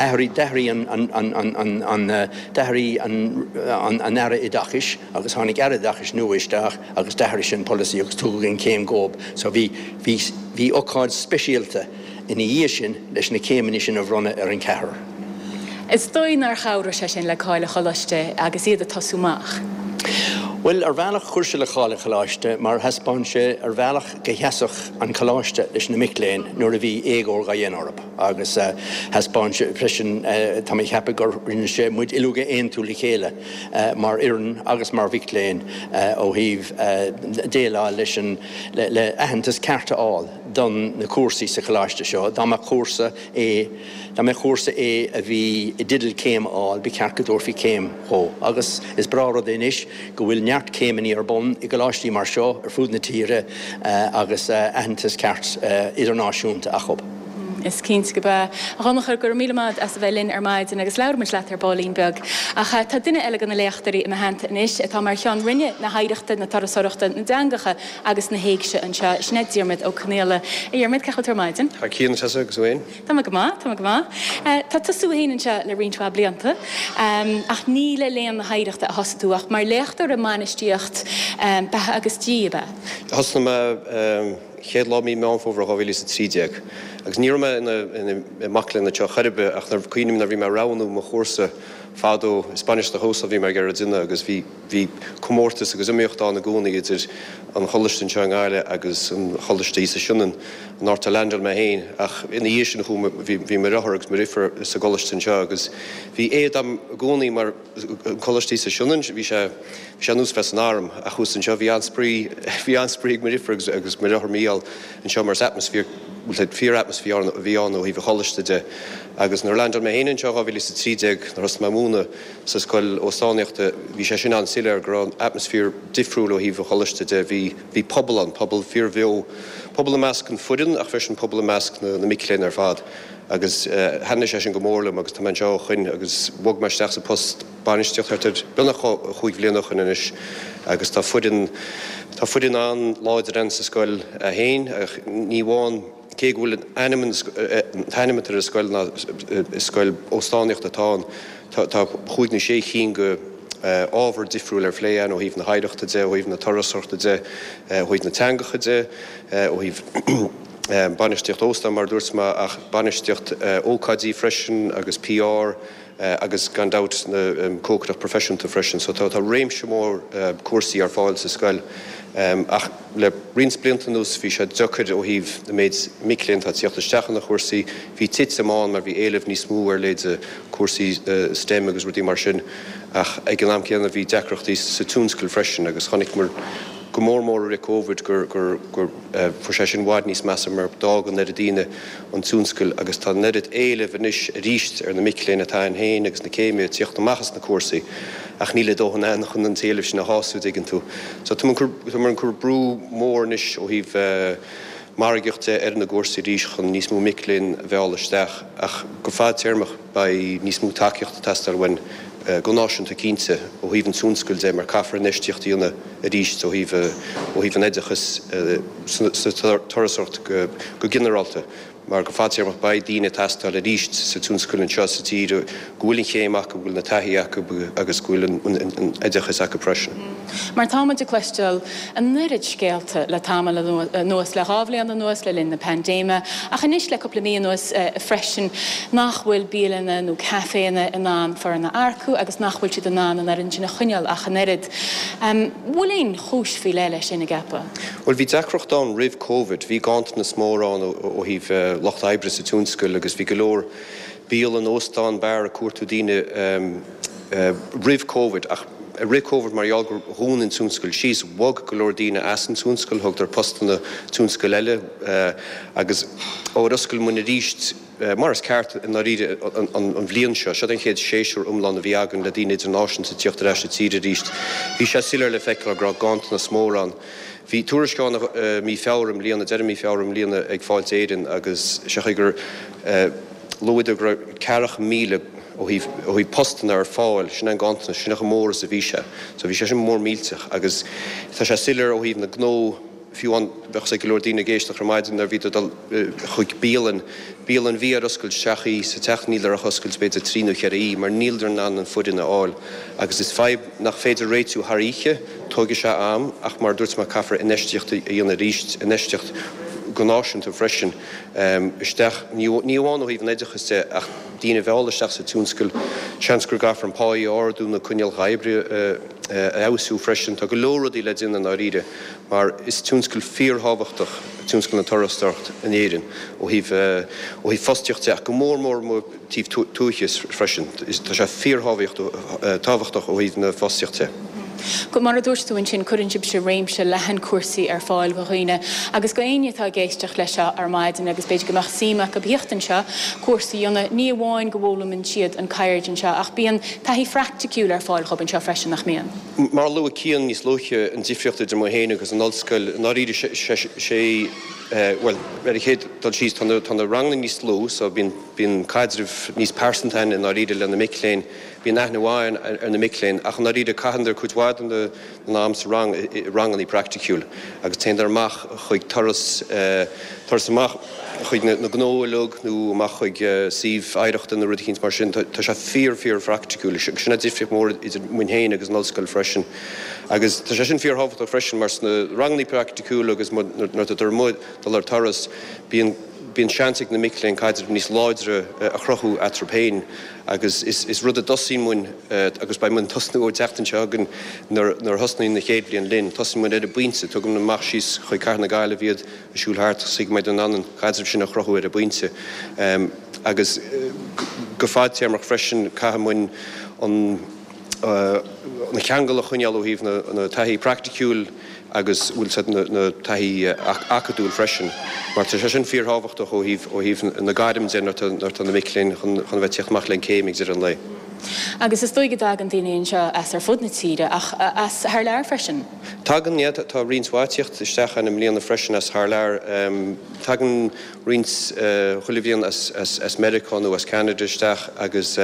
Athraigh, d'athraigh an, an, an, d'athraigh an, an Aire Oideachais agus tháinig Aire Oideachais nua isteach agus d'athraigh sé an polasaí agus tugadh an chéim dhóib. So bhí, bhí, bhí ocáid speisialta ina dhiaidh sin leis na céimeanna sin a bhronnadh ar an cheathrar. Is dóigh nár chabhraigh sé sin le cáil an Choláiste agus iad ag tosú amach? Bhuel, ar bhealach chuir sé le cáil an Choláiste mar thaispeáin sé ar bhealach go sheasfadh an Coláiste leis na mic léinn nuair a bhí éagóir dhá dhéanamh orthu. Agus thaispeáin sé freisin, tá mé ag ceapadh gur rinne sé muid uilig a aontú le chéile mar fhoireann agus mar mhic léinn ó thaobh déileáil leis an, le aitheantas ceart a fháil don na cúrsaí sa choláiste seo. Dá mbeadh cúrsa A, dá mbeadh cúrsa A a bhí i dteideal céim a fháil, ba cheart go dtabharfaí céim dhó. Agus is breá rud é anois go bhfuil neart céimeanna ar bun i gcoláistí mar seo ar fud na tíre agus aitheantas ceart idirnáisiúnta acu. Is cinnte gurb ea. A Dhonncha, go raibh míle maith as a bheith linn ar maidin agus labhróidh muid leat ar baillín beag. Ach tá duine eile de na léachtóirí i mo theannta anois atá mar Cheann Roinne na hOidhreachta, na Turasóireachta, na dTeangacha agus na hÉigse anseo, sin é Diarmuid Ó Conaola. A Dhiarmuid, cén chaoi a bhfuil tú ar maidin? Thar cionn, tusa agus tú fhéin? Tá mé go maith, tá mé go maith. Tá tusa féin anseo le roinnt mhaith blianta, ach ní le Léann na hOidhreachta a thosaigh tú ach mar léachtóir i mbainistíocht beatha agus dí, ab ea? Thosnaigh mé chéad lá mí Meán Fómhair 2013 agus ní raibh mé ina mac léinn anseo chor ar bith ach nuair, cuimhním nuair a bhí mé ag roghnú mo chúrsa fadó, is bainistíocht óstán a bhí mé ag iarraidh a dhéanamh agus bhí. Bhí comórtas agus iomaíocht ann i gcónaí idir an choláiste anseo i nGaillimh agus an choláiste thíos sa Sionainn, an áit a leaindeáil mé féin. Ach ina dhiaidh sin chuaigh mé, bhí, bhí mo dheartháir agus mo dheirfiúr sa gcoláiste anseo agus bhí éad agam i gcónaí mar an coláiste thíos sa Sionainn, bhí sé, bhí sé ar nós bheith san arm ach thuas anseo bhí an-spraoi, bhí an-spraoi ag mo dheirfiúr agus, agus mo dheartháir Mícheál anseo mar is atmaisféar, fíor atmaisféar a bhí ann ó thaobh an choláiste de. Agus nuair a leaindeáil mé féin anseo in 2013 nuair a thosaigh mé ag múineadh, Sa scoil óstánaíochta, bhí sé sin an-soiléir go raibh an atmaisféar difriúil ó thaobh an choláiste de. Bhí, bhí pobal ann, pobal fíorbheo, pobal i measc an foireann ach freisin pobal i measc na, na mic léinn ar fad. Agus thaitnigh sé sin go mór liom agus tá mé anseo ó shoin agus bhog mé isteach sa post bainistíocht thart ar beagnach chúig bhliana ó shoin anois agus tá foireann, tá foireann an-láidir ann sa scoil féin ach ní amháin, Cé go bhfuil an ainm an t-ainm atá ar an scoil ná is scoil óstánaíochta atá ann, tá chúig nó sé chinn de ábhar difriúil ar phlé ann ó thaobh na hoidhreachta de, ó thaobh na turasóireachta de, ó thaobh na teangacha de, ó thaobh bainistíocht óstán mar a dúirt mé ach bainistíocht ócáidí freisin agus PR. agus gan dabht na cócaireacht proifisiúnta freisin. So tá réimse mór cúrsaí ar fáil sa scoil ach le roinnt blianta anuas bhí sé deacair ó thaobh na méid mic léinn atá ag tíocht isteach ar na chúrsaí. Bhí titim ann mar bhí éileamh níos mó ar leithéide cúrsaí STEM agus rudaí mar sin ach ag an am céanna bhí deacrachtaí sa tionscal freisin agus chonaiceamar go mór mór i rith Covid gur gur gur fuair sé sin i bhfad níos measa mar d'fhág an oiread daoine an tionscal agus tá an oiread éilimh anois arís ar na mic léinn atá ann féin agus na céimithe ag tíocht amach as na cúrsaí ach níl a dóthain ann chun an t-éileamh sin a shású, dtuigeann tú. So táimid ag cur brú mór anois ó thaobh margaíocht de ar na gcúrsaí arís chun níos mó mic léinn a mhealladh isteach ach go fadtéarmach beidh níos mó tacaíochta ag teastáil uainn go náisiúnta cinnte ó thaobh an tionscail de mar caithfear infheistíocht a dhéanamh arís ó thaobh ó thaobh an oideachais sa turasóireacht go ginearálta. mar go fadtéarmach beidh daoine ag teastáil arís sa tionscal anseo sa tír go bhfuil an chéim acu, go bhfuil na taithí acu agus go bhfuil an oideachas acu freisin. Mar tá muid ag cloisteáil an oiread scéalta le tamall anuas, le 2 bhliain anuas, le linn na paindéime, ach anois le cúpla mí anuas freisin, nach bhfuil bialanna nó caiféanna in ann foireann a earcú agus nach bhfuil siad in ann an fhoireann sin a choinneáil ach an oiread. An bhfuil aon chúis faoi leith leis sin, an gceapfá? Bhuel, bhí deacracht ann roimh Covid. Bhí ganntanas mór ann ó thaobh lucht oibre sa tionscal agus bhí go leor bialann, óstán, beár ag cuartú daoine roimh Covid. Ach i rith Covid, mar gheall gur dhún an tionscal síos, bhog go leor daoine as an tionscal, thugadar postanna tionscail eile agus ó ar oscail muinn arís, mar is ceart i ndáiríre, an bhliain seo, seo an chéad séasúr iomlán a bhí againn le daoine idirnáisiúnta ag tíocht ar ais sa tír arís. Bhí sé soiléir le feiceáil go raibh ganntanas mór ann. Bhí tuairisc ann i mí Feabhra i mbliana, deireadh mí Feabhra i mbliana ag Fáilte Éireann agus sé chaoi gur luadar go raibh 40,000 ó thaobh ó thaobh postanna ar fáil, sin é an ganntanas, sin é chomh mór is a bhí sé. So bhí sé sin mór millteach agus tá sé soiléir ó thaobh na gnó, fiú amháin bheadh 's ag go leor daoine ag éisteacht ar maidin nuair a bhíodar ag dul chuig bialann, bialann bhí ar oscailt seacht oíche sa tseachtain níleadar ach oscailt b'fhéidir trí nó cheithre oíche mar níleadar in ann an foireann a fháil agus is fadhb nach féidir réitiú thar oíche, tógfaidh sé am ach mar a dúirt mé caithfear infheistíocht a dhéanamh arís, infheistíocht go náisiúnta freisin isteach, ní amháin ó thaobh an oideachais de ach daoine a mhealladh isteach sa tionscal, seans gur gcaithfear an pá a ardú, na coinníollacha oibre a. a fheabhsú freisin. Tá go leor rudaí le déanamh i ndáiríre mar is tionscal fíorthábhachtach tionscal na turasóireachta in Éirinn ó thaobh ó thaobh fostaíocht de ach go mór mór ó thaobh tuaithe freisin. Tá sé fíorthábhachtach ó thaobh na fostaíochta de. Mar a dúirt tú ansin, cuireann sibhse réimse leathan cúrsaí ar fáil do dhaoine agus do éinne atá ag éisteacht leis seo ar maidin agus b'fhéidir go mbeadh suim acu theacht anseo, cúrsa a dhéanamh, ní amháin go bhfoghlaimíonn siad an ceird anseo ach bíonn taithí phraiticiúil ar fáil dhóibh anseo freisin, nach mbíonn? Mar a luaigh Cian níos luaithe, an difríocht idir muid féin agus an ollscoil, i ndáiríre, sé, bhuel, ar an chéad dul síos, tá na, tá na ranganna níos lú, so bíonn, bíonn caidreamh níos pearsanta againn i ndáiríre le na mic léinn, bíonn aithne mhaith ar na mic léinn, ach i ndáiríre caitheann cuid mhaith den, den am sa rang i ranganna praiticiúil agus téann amach chuig turas, turas amach chuig na gnó uilig nó amach chuig suíomh oidhreachta nó rud eicínt mar sin. Tá sé fíor, fíor phraiticiúil. Sin an difríocht mhór idir muinn féin agus an ollscoil freisin. Agus tá sé sin fíor thábhachtach freisin mar sna ranganna praiticiúla agus nuair atá amuigh dul ar turas, bíonn, bíonn seans ag na mic léinn caidreamh níos láidre a chruthú eatarthu féin. Agus is rud a dtosaíonn muinn, agus beidh muinn ag tosnú ón tseachtain seo chugainn nuair a thosnaíonn na chéad bhliain linn, tosaíonn muinn ar an bpointe, tugann muid amach síos chuig Cathair na Gaillimhe iad, ag siúl thart, so go mbeidh in ann an caidreamh sin a chruthú ar an bpointe. Agus go fadtéarmach freisin, caithfidh muinn an cheangal a choinneáil ó thaobh na taithí praiticiúil agus bhfuil siad na taithí acadúil freisin, mar tá sé sin fíorthábhachtach ó thaobh ó thaobh na gairm de nuair atá na mic léinn chun chun a bheith ag tíocht amach le an céim ag deireadh an lae. Agus is dóigh go dtagann daoine anseo as ar fud na tíre ach as thar lear freisin? Tagann, yeah, tá roinnt mhaith ag tíocht isteach ann i mbliana freisin as thar lear. Tagann roinnt chuile bhliain as as Meiriceá nó as Ceanada isteach agus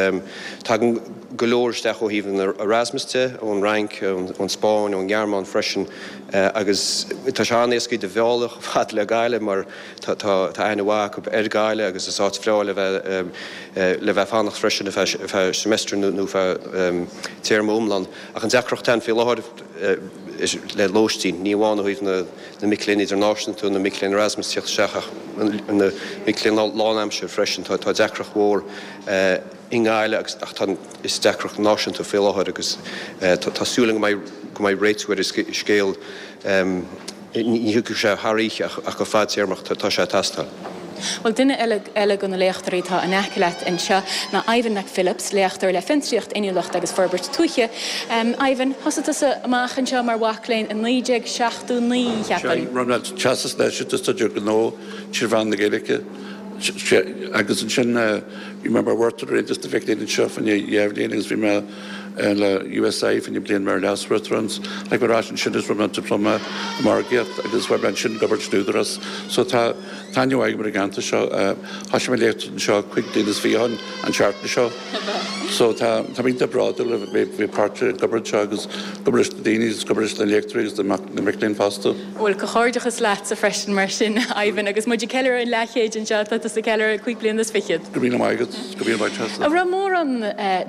tagann go leor isteach ó thaobh an Erasmus de, ón Fhrainc, ón Spáinn, ón nGearmáin freisin agus tá sé an-éasca iad a mhealladh chomh fada le Gaillimh mar tá aithne mhaith acu ar Ghaillimh agus is áit bhreá le bheith le bheith ag fanacht freisin ar feadh semester nó feadh téarma iomlán. Ach an deacracht ann faoi láthair le lóistín, ní amháin ó thaobh na mic léinn idirnáisiúnta, na mic léinn Erasmus tíocht isteach ach na mic léinn lánaimseartha freisin, tá deacracht mhór. i nGaillimh agus ach tá is deacracht náisiúnta faoi láthair agus tá súil agam go mbeidh go mbeidh réitiú ar an scéal ní thiocfaidh sé thar oíche ach go fadtéarmach tá sé ag teastáil. Bhuel, duine eile eile de na léachtóirí atá in aice leat anseo ná Ivan McPhillips, léachtóir le Fiontraíocht, Inniúlacht agus Forbairt Tuaithe. Ivan, thosaigh tusa amach anseo mar mhac léinn i 1979, cheapfainn. Sea, rinne mé Teastas Náisiúnta Staidéar Gnó trí mheán na Gaeilge agus ansin Bhí mé mar mhaoirseoir ar Aontas na Mhic Léinn anseo fá choinne dhá bhliain agus bhí mé. le USI fá choinne bliain mar leas-uachtarán. Tháinig mé ar ais ansin agus rinne mé dioplóma i margaíocht agus chuaigh mé ansin ag obair san Údarás. So tá tá aithne mhaith agam ar an gceantar seo. Thosaigh mé ag léacht anseo 25 bliain ó shin an tseachtain seo. So tá tá mé iontach bródúil a bheith bheith páirteach ag obair anseo agus ag obair leis na daoine agus ag obair leis na léachtóirí agus na mic léinn fosta. Bhuel, comhghairdeachas leatsa freisin mar sin, Ivan, agus muid ag ceiliúradh an leathchéid anseo, tá tusa ag ceiliúradh 25 bliana. Go raibh míle maith agat, go raibh míle maith Treasa. An raibh mórán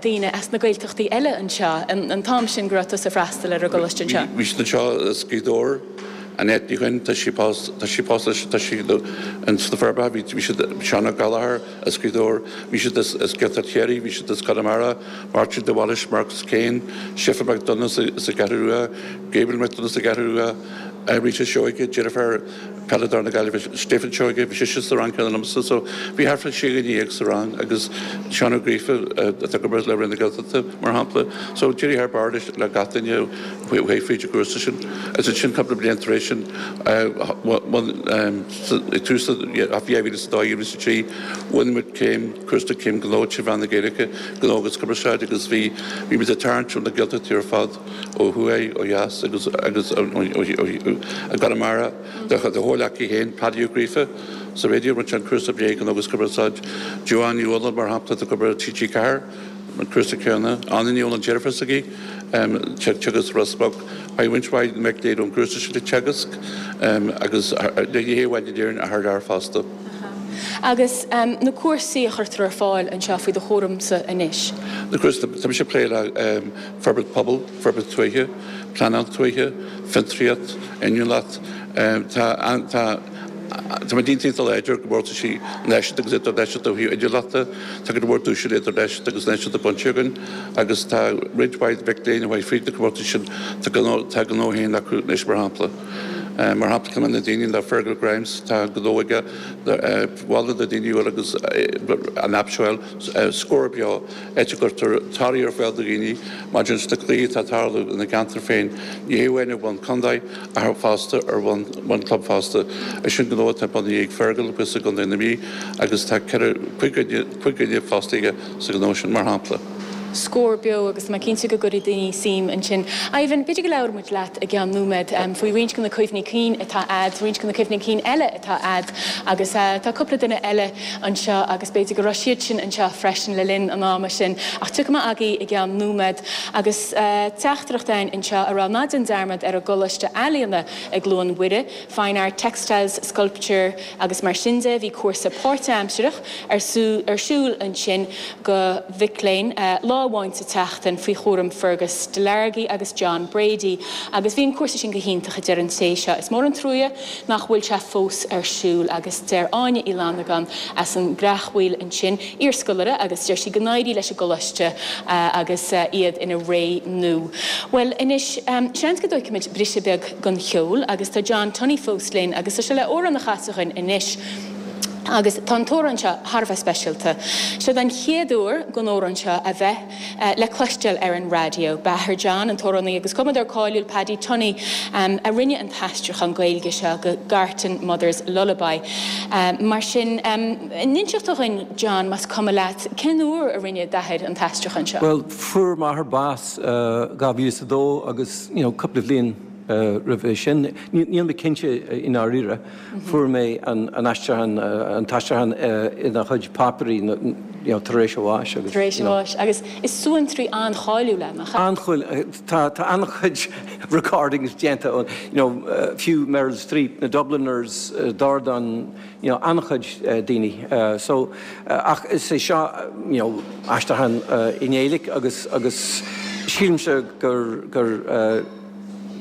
daoine as na Gaeltachtaí eile anseo an t-am sin go raibh tusa ag freastal ar an gcoláiste anseo? Bhí siad anseo as Gaoth Dobhair, Annette Ní Dhuinn, tá sí pósta, tá sí pósta leis, tá sí ins na Forbacha, bhí siad, Seán Ó Gallchóir as Gaoth Dobhair, bhí siad as Gaeltacht Chiarraí, bhí siad as Conamara, Máirtín de Bhailís, Marcus Kane, Síofra McDonagh as an gCeathrú Rua, Gabriel McDonagh as an gCeathrú Rua, Rita Seoige, deirfiúr peileadóir na Gaillimhe Stephen Seoige, bhí sise sa rang céanna liomsa so bhí thart fá sé dhuine dhéag sa rang agus Seán Ó Gríofa atá ag obair le Roinn na Gaeltachta mar shampla. So d'éirigh thar barr leis le gach duine a chuaigh fríd an gcúrsa sin. Agus ansin cúpla bliain tar éis sin ag tús 2002, 2003 bhain muid céim, cúrsa céim gnó trí mheán na Gaeilge, gnó agus cumarsáid agus bhí bhí muid ag tarraingt ó na Gaeltachtaí ar fad. ó thuaidh, ó dheas agus agus i gConamara. Do chomhghleacaí féin, Paddy Ó Gríofa, sa raidió, rinne sé an cúrsa BA Gnó agus Cumarsáid. Joanne Ní Fhualáin, mar shampla, atá ag obair ar TG4, an cúrsa céanna. Anna Ní Fhualáin, deirfiúr s'aige, teagasc Ros Muc. Faigheann roinnt mhaith mic léinn ón gcúrsa sin ag teagasc agus ní hé amháin in Éirinn ach thar lear fosta. Agus na cúrsaí a chuirtear ar fáil anseo faoi do chúramsa anois? Na cúrsaí, tá mise ag plé le forbairt pobail, forbairt tuaithe, pleanáil tuaithe, fiontraíocht, inniúlacht. Tá tá tá muid iontach láidir i gcomórtaisí náisiúnta agus idirnáisiúnta ó thaobh inniúlachta. Tá go leor duaiseanna idirnáisiúnta agus náisiúnta bainte againn agus tá roinnt mhaith mhic léinn a chuaigh fríd na comórtais sin, tá gnó tá a ngnó féin acu anois mar shampla. Mar shampla ceann de na daoine ná Fergal Grimes, tá gnó aige, mholfainn do dhaoine a fháil agus an aip seo a fháil, Scór Beo. áit a gcuirtear torthaí ar fáil do dhaoine maidir leis na cluichí atá ag tarlú ina gceantar féin, ní hé amháin ar bhonn contae ach fosta ar bhonn club fosta. Is sin gnó atá bunaithe ag Fergal thuas i gContae na Mí agus tá ceithre, cuig dhuine fostaithe sa ghnó sin, mar shampla. Scór Beo agus tá mé cinnte go gcuirfidh daoine suim ansin. Ivan, b'fhéidir go labhróidh muid leat i gceann nóiméad faoi roinnt de na cuimhní cinn atá a'd, roinnt de na cuimhní cinn eile atá a'd agus tá cúpla duine eile anseo agus b'fhéidir go raibh siad sin anseo freisin le linn an ama sin ach tiocfaidh mé agaibh i gceann nóiméad agus teachtaireacht againn anseo a rá ná déan dearmad ar an gColáiste Ealaíona i gCluain Mhuire, Fine Art, Textiles, Sculpture agus mar sin de. Bhí cúrsa páirtaimsearach ar siúl ansin do mhic léinn lá amháin sa tseachtain faoi chúram Fergus Delargy agus John Brady agus bhí an cúrsa sin go hiontach a deir an té seo. Is mór an truaighe nach bhfuil sé fós ar siúl agus deir Áine Uí Fhlannagáin as an gCreachmhaoil ansin, iarscoláire, agus deir sí go n-éirí leis an gcoláiste agus iad ina ré nua. Bhuel anois, seans go dtóigfimid briseadh beag don cheol agus tá John Tunney fós linn agus tá sé le amhrán a chasadh dhuinn anois agus tá an t-amhrán seo thar a bheith speisialta. Seod an chéad uair don amhrán seo a bheith. le cloisteáil ar an raidió. B'athair John, an t-amhránaí agus cumadóir cáiliúil Paddy Tunney, a rinne an t-aistriúchán Gaeilge seo go Gartan Mother's Lullaby. Mar sin, an inseoidh tú dhuinn, John, más cuma leat, cén uair a rinne d'athair an t-aistriúchán seo? Bhuel, fuair m'athair bás 2002 agus, you know, cúpla bhliain roimhe sin, níl mé cinnte i ndáiríre, Fuair mé an aistriúchán, an t-aistriúchán ina chuid páipéirí you know tar éis a bháis agus Tar éis a bháis. Agus is suantraí an-cháiliúil é, nach ea? An-cháiliúil. Tá tá an-chuid recordings déanta ó you know fiú Meryl Streep, na Dubliners, Dordán, you know an-chuid daoine. So ach is é seo you know aistriúchán i nGaeilge agus agus sílimse gur gur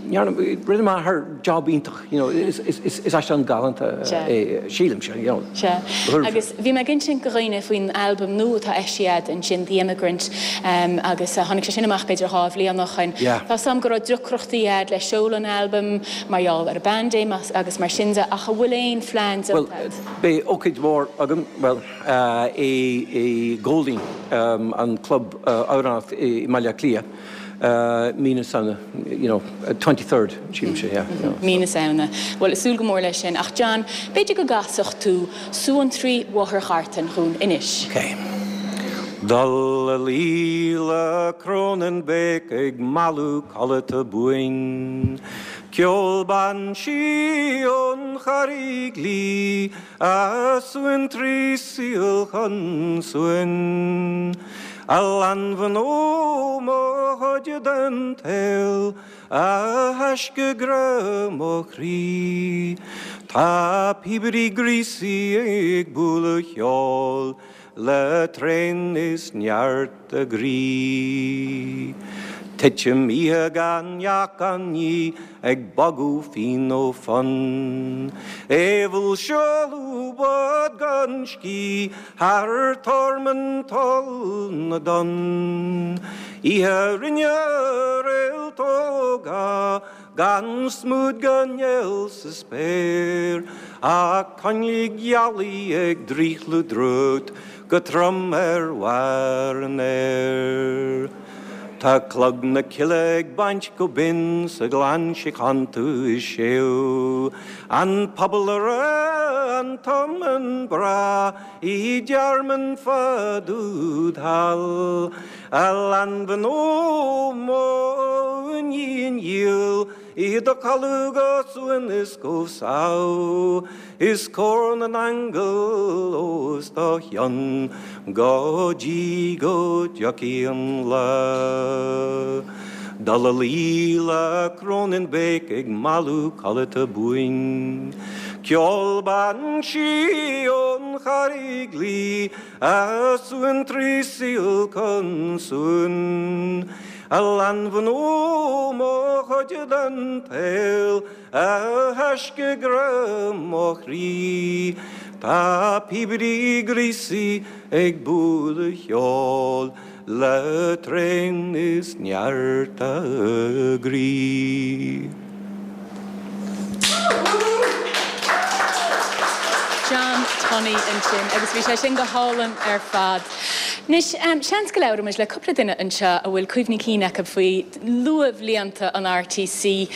Rinne m'athair job iontach, you know, is aistriúchán galánta é, sílimse, you know. Sea. Agus bhí mé ag insint do dhaoine faoin albam nua atá eisithe a'd ansin, The Emigrant, agus tháinig sé sin amach b'fhéidir 2 bhliain ó shoin. Yeah. Tá 's a'm go raibh deacrachtaí a'd le seoladh an albaim mar gheall ar an bpaindéim agus mar sin de, ach an bhfuil aon phlean déanta a'd? Bhuel, beidh ócáid mhór agam, bhuel, i Golding, an club amhránaíochta i mBaile Átha Cliath. Mí na Samhna, you know, 23rd, sílimse, yeah, you know. Mí na Samhna. Bhuel, súil go mór leis sin. Ach John, b'fhéidir go gcasfadh tú Suantraí Mháthair Ghartan dhúinn anois. Ok. Dul a luí le Cronan Bake ag mealladh codlata buain. Ceol ban sí ón Charraig Liath a suantraí saol chun suain. A leanbh nó mo chuid den tsaol A thaisce grá mo chroí. Tá píobairí gríosaí ag bualadh cheoil le tréan is neart a gcroí. Titim oíche gan neach gan ní ag bogadh fíon ó fonn. Aoibheall seoladh bád gan scíth thar tormán toll na dtonn. Oíche rinne réaltóga gan smúid gan néal sa spéir, ach coinnlí gealaí ag drithliú drúcht go trom ar bharr an fhéir. Tá clog na cille ag baint go binn sa ghleann síochánta is séú an pobal a raibh an t-iomann breá I dtearmann fad úd thall, a leanbh nó mo iníon dhíl, I do chodladh go suan is go sámh, Is cór na n-aingeal os do chionn go dtí go dtiocfaidh an lá. Dul a luí le Cronan Bake ag mealladh codlata buain. Ceol ban sí ón Charraig Liath a suantraí saol chun suain. A leanbh nó mo chuid den tsaol a thaisce grá mo chroí. Tá píobairí gríosaí ag bualadh cheoil. Le tréan is neart a gcroí. John Tunney ansin agus bhí sé sin go hálainn ar fad. Anois, seans go labhróidh muid le cúpla duine anseo a bhfuil cuimhní cinn acu faoi luathbhlianta an RTC.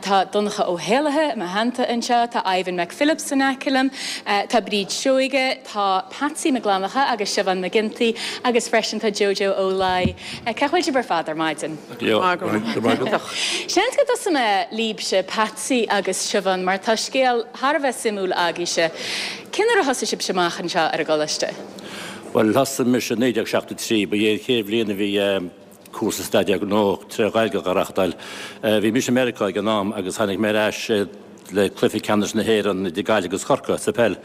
Tá Donncha Ó hÉallaithe i mo theannta anseo, tá Ivan McPhillips in aice liom, tá Bríd Seoige, Tá Patsy Mac Fhlannchadha agus Siobhán Mac Ginty agus freisin tá Jojo Ó Laoi. Cén chaoi a bhfuil sibh ar fad ar maidin? Go maith agat. Seans go dtosóidh mé libhse, Patsy agus Siobhán, mar tá scéal thar a bheith suimiúil agaibhse. Cén uair a thosaigh sibhse amach anseo ar an gcoláiste? Bhuel, thosaigh mise i 1973. Ba é an chéad bhliain a bhí cúrsa staidéar gnó tré Ghaeilge á reachtáil. Bhí mise i Meiriceá ag an am agus tháinig mé ar ais le cluiche ceannais na hÉireann idir Gaillimh agus Corcaigh sa pheil.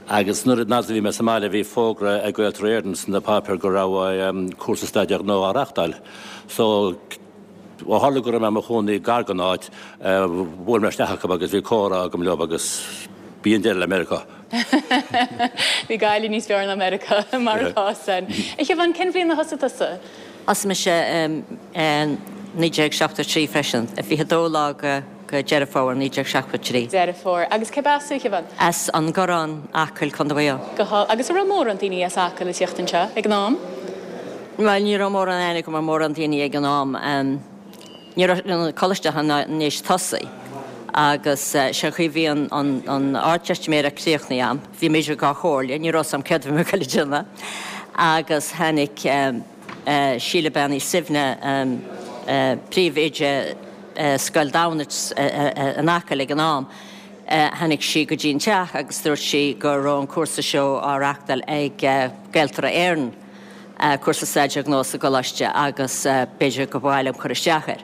Agus nuair a bhí mé sa mbaile bhí fógra ag Gaeltarra Éireann sna páipéir go raibh cúrsa staidéar gnó á reachtáil. So, ó tharla go raibh mé i mo chónaí gar don áit, bhuail mé isteach acu agus bhí comhrá agam leo agus b'in deireadh le Meiriceá. Bhí Gaillimh níos fearr ná Meiriceá, mar atá san. A Shiobhán, cén bhliain a thosaigh tusa? Thosaigh mise i 1973 freisin, 22 lá de Deireadh Fómhair 1973. Deireadh Fómhair. Agus cérb as thú, a Shiobhán? As an gCoireán, Acaill, Contae Mhaigh Eo. Go hálainn. Agus an raibh mórán daoine as Acaill ag tíocht anseo ag an am? Bhuel, ní raibh mórán aithne agam ar mórán daoine ag an am. Ní raibh an coláiste ach i ndiaidh tosaí agus sé an chaoi bhí an Ardteistiméireacht críochnaithe a'm, bhí mise dhá chomhairle, ní raibh 's a'm céard a bhí mé ag goil a déanamh agus tháinig Síle Bean Uí Suibhne, príomhoide Scoil Damhnait in Acaill ag an am, tháinig sí go dtí an teach agus dúirt sí go raibh an cúrsa seo á reachtáil ag Gaeltarra Éireann. cúrsa staidéar gnó sa gcoláiste agus b'fhéidir go mba mhaith liom cur isteach air.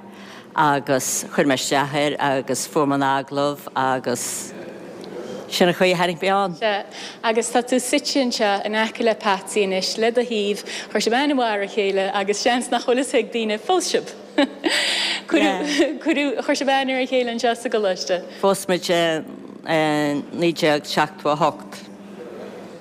Agus chuir mé isteach air agus fuair mé an agallamh agus sin an chaoi a tháinig mé ann. Sea, agus tá tú suite anseo in aice le Patsy anois, le do thaobh, chuir sibh aithne mhaith ar a chéile agus seans nach bhfuil fhios ag daoine phós sibh. Cuireadh, cuireadh, chuir sibh aithne ar a chéile anseo sa gcoláiste. Phós muid i 1978.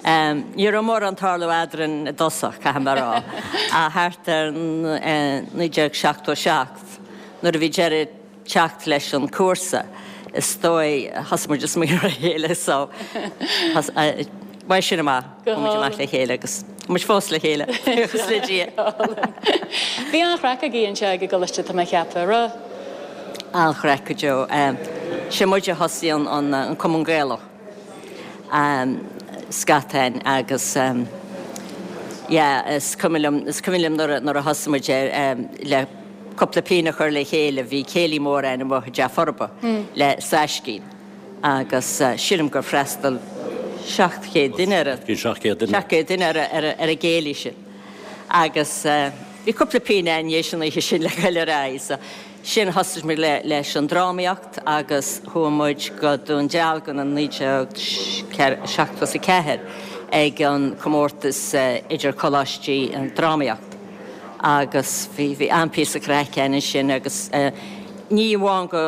Ní raibh mórán tarlú eadrainn i dtosach, caithfidh mé a rá, ach thart ar 1977, nuair a bhí deireadh teacht leis an cúrsa, is dóigh, thosaigh muid ag smaoineamh ar a chéile so uaidh sin amach, chuaigh muid amach le chéile agus tá muid fós le chéile, buíochas le Dia. Bhí an-chraic agaibh anseo ag an gcoláiste, tá mé a cheapadh, an raibh? An-chraic go deo. Sé muid a thosaigh an Cumann Gaelach. scatáin agus Yeah, is cuimhin liom, is cuimhin liom nuair a, nuair a thosaigh muid ar, le cúpla pingin a chur le chéile, bhí céilí mór againn amuigh i dTeach Forba le Saiscín agus sílim gur freastal 700 duine ar an, 700 duine. 700 duine ar ar ar an gcéilí sin. Agus bhí cúpla pingin againn théis an oíche sin le goil ar aghaidh so sin thosaigh muid le leis an drámaíocht agus chuaigh muid go Dún Dealgan in 1974 ag an comórtas idir coláistí an drámaíocht agus bhí bhí an-phíosa craic againn ansin agus ní amháin go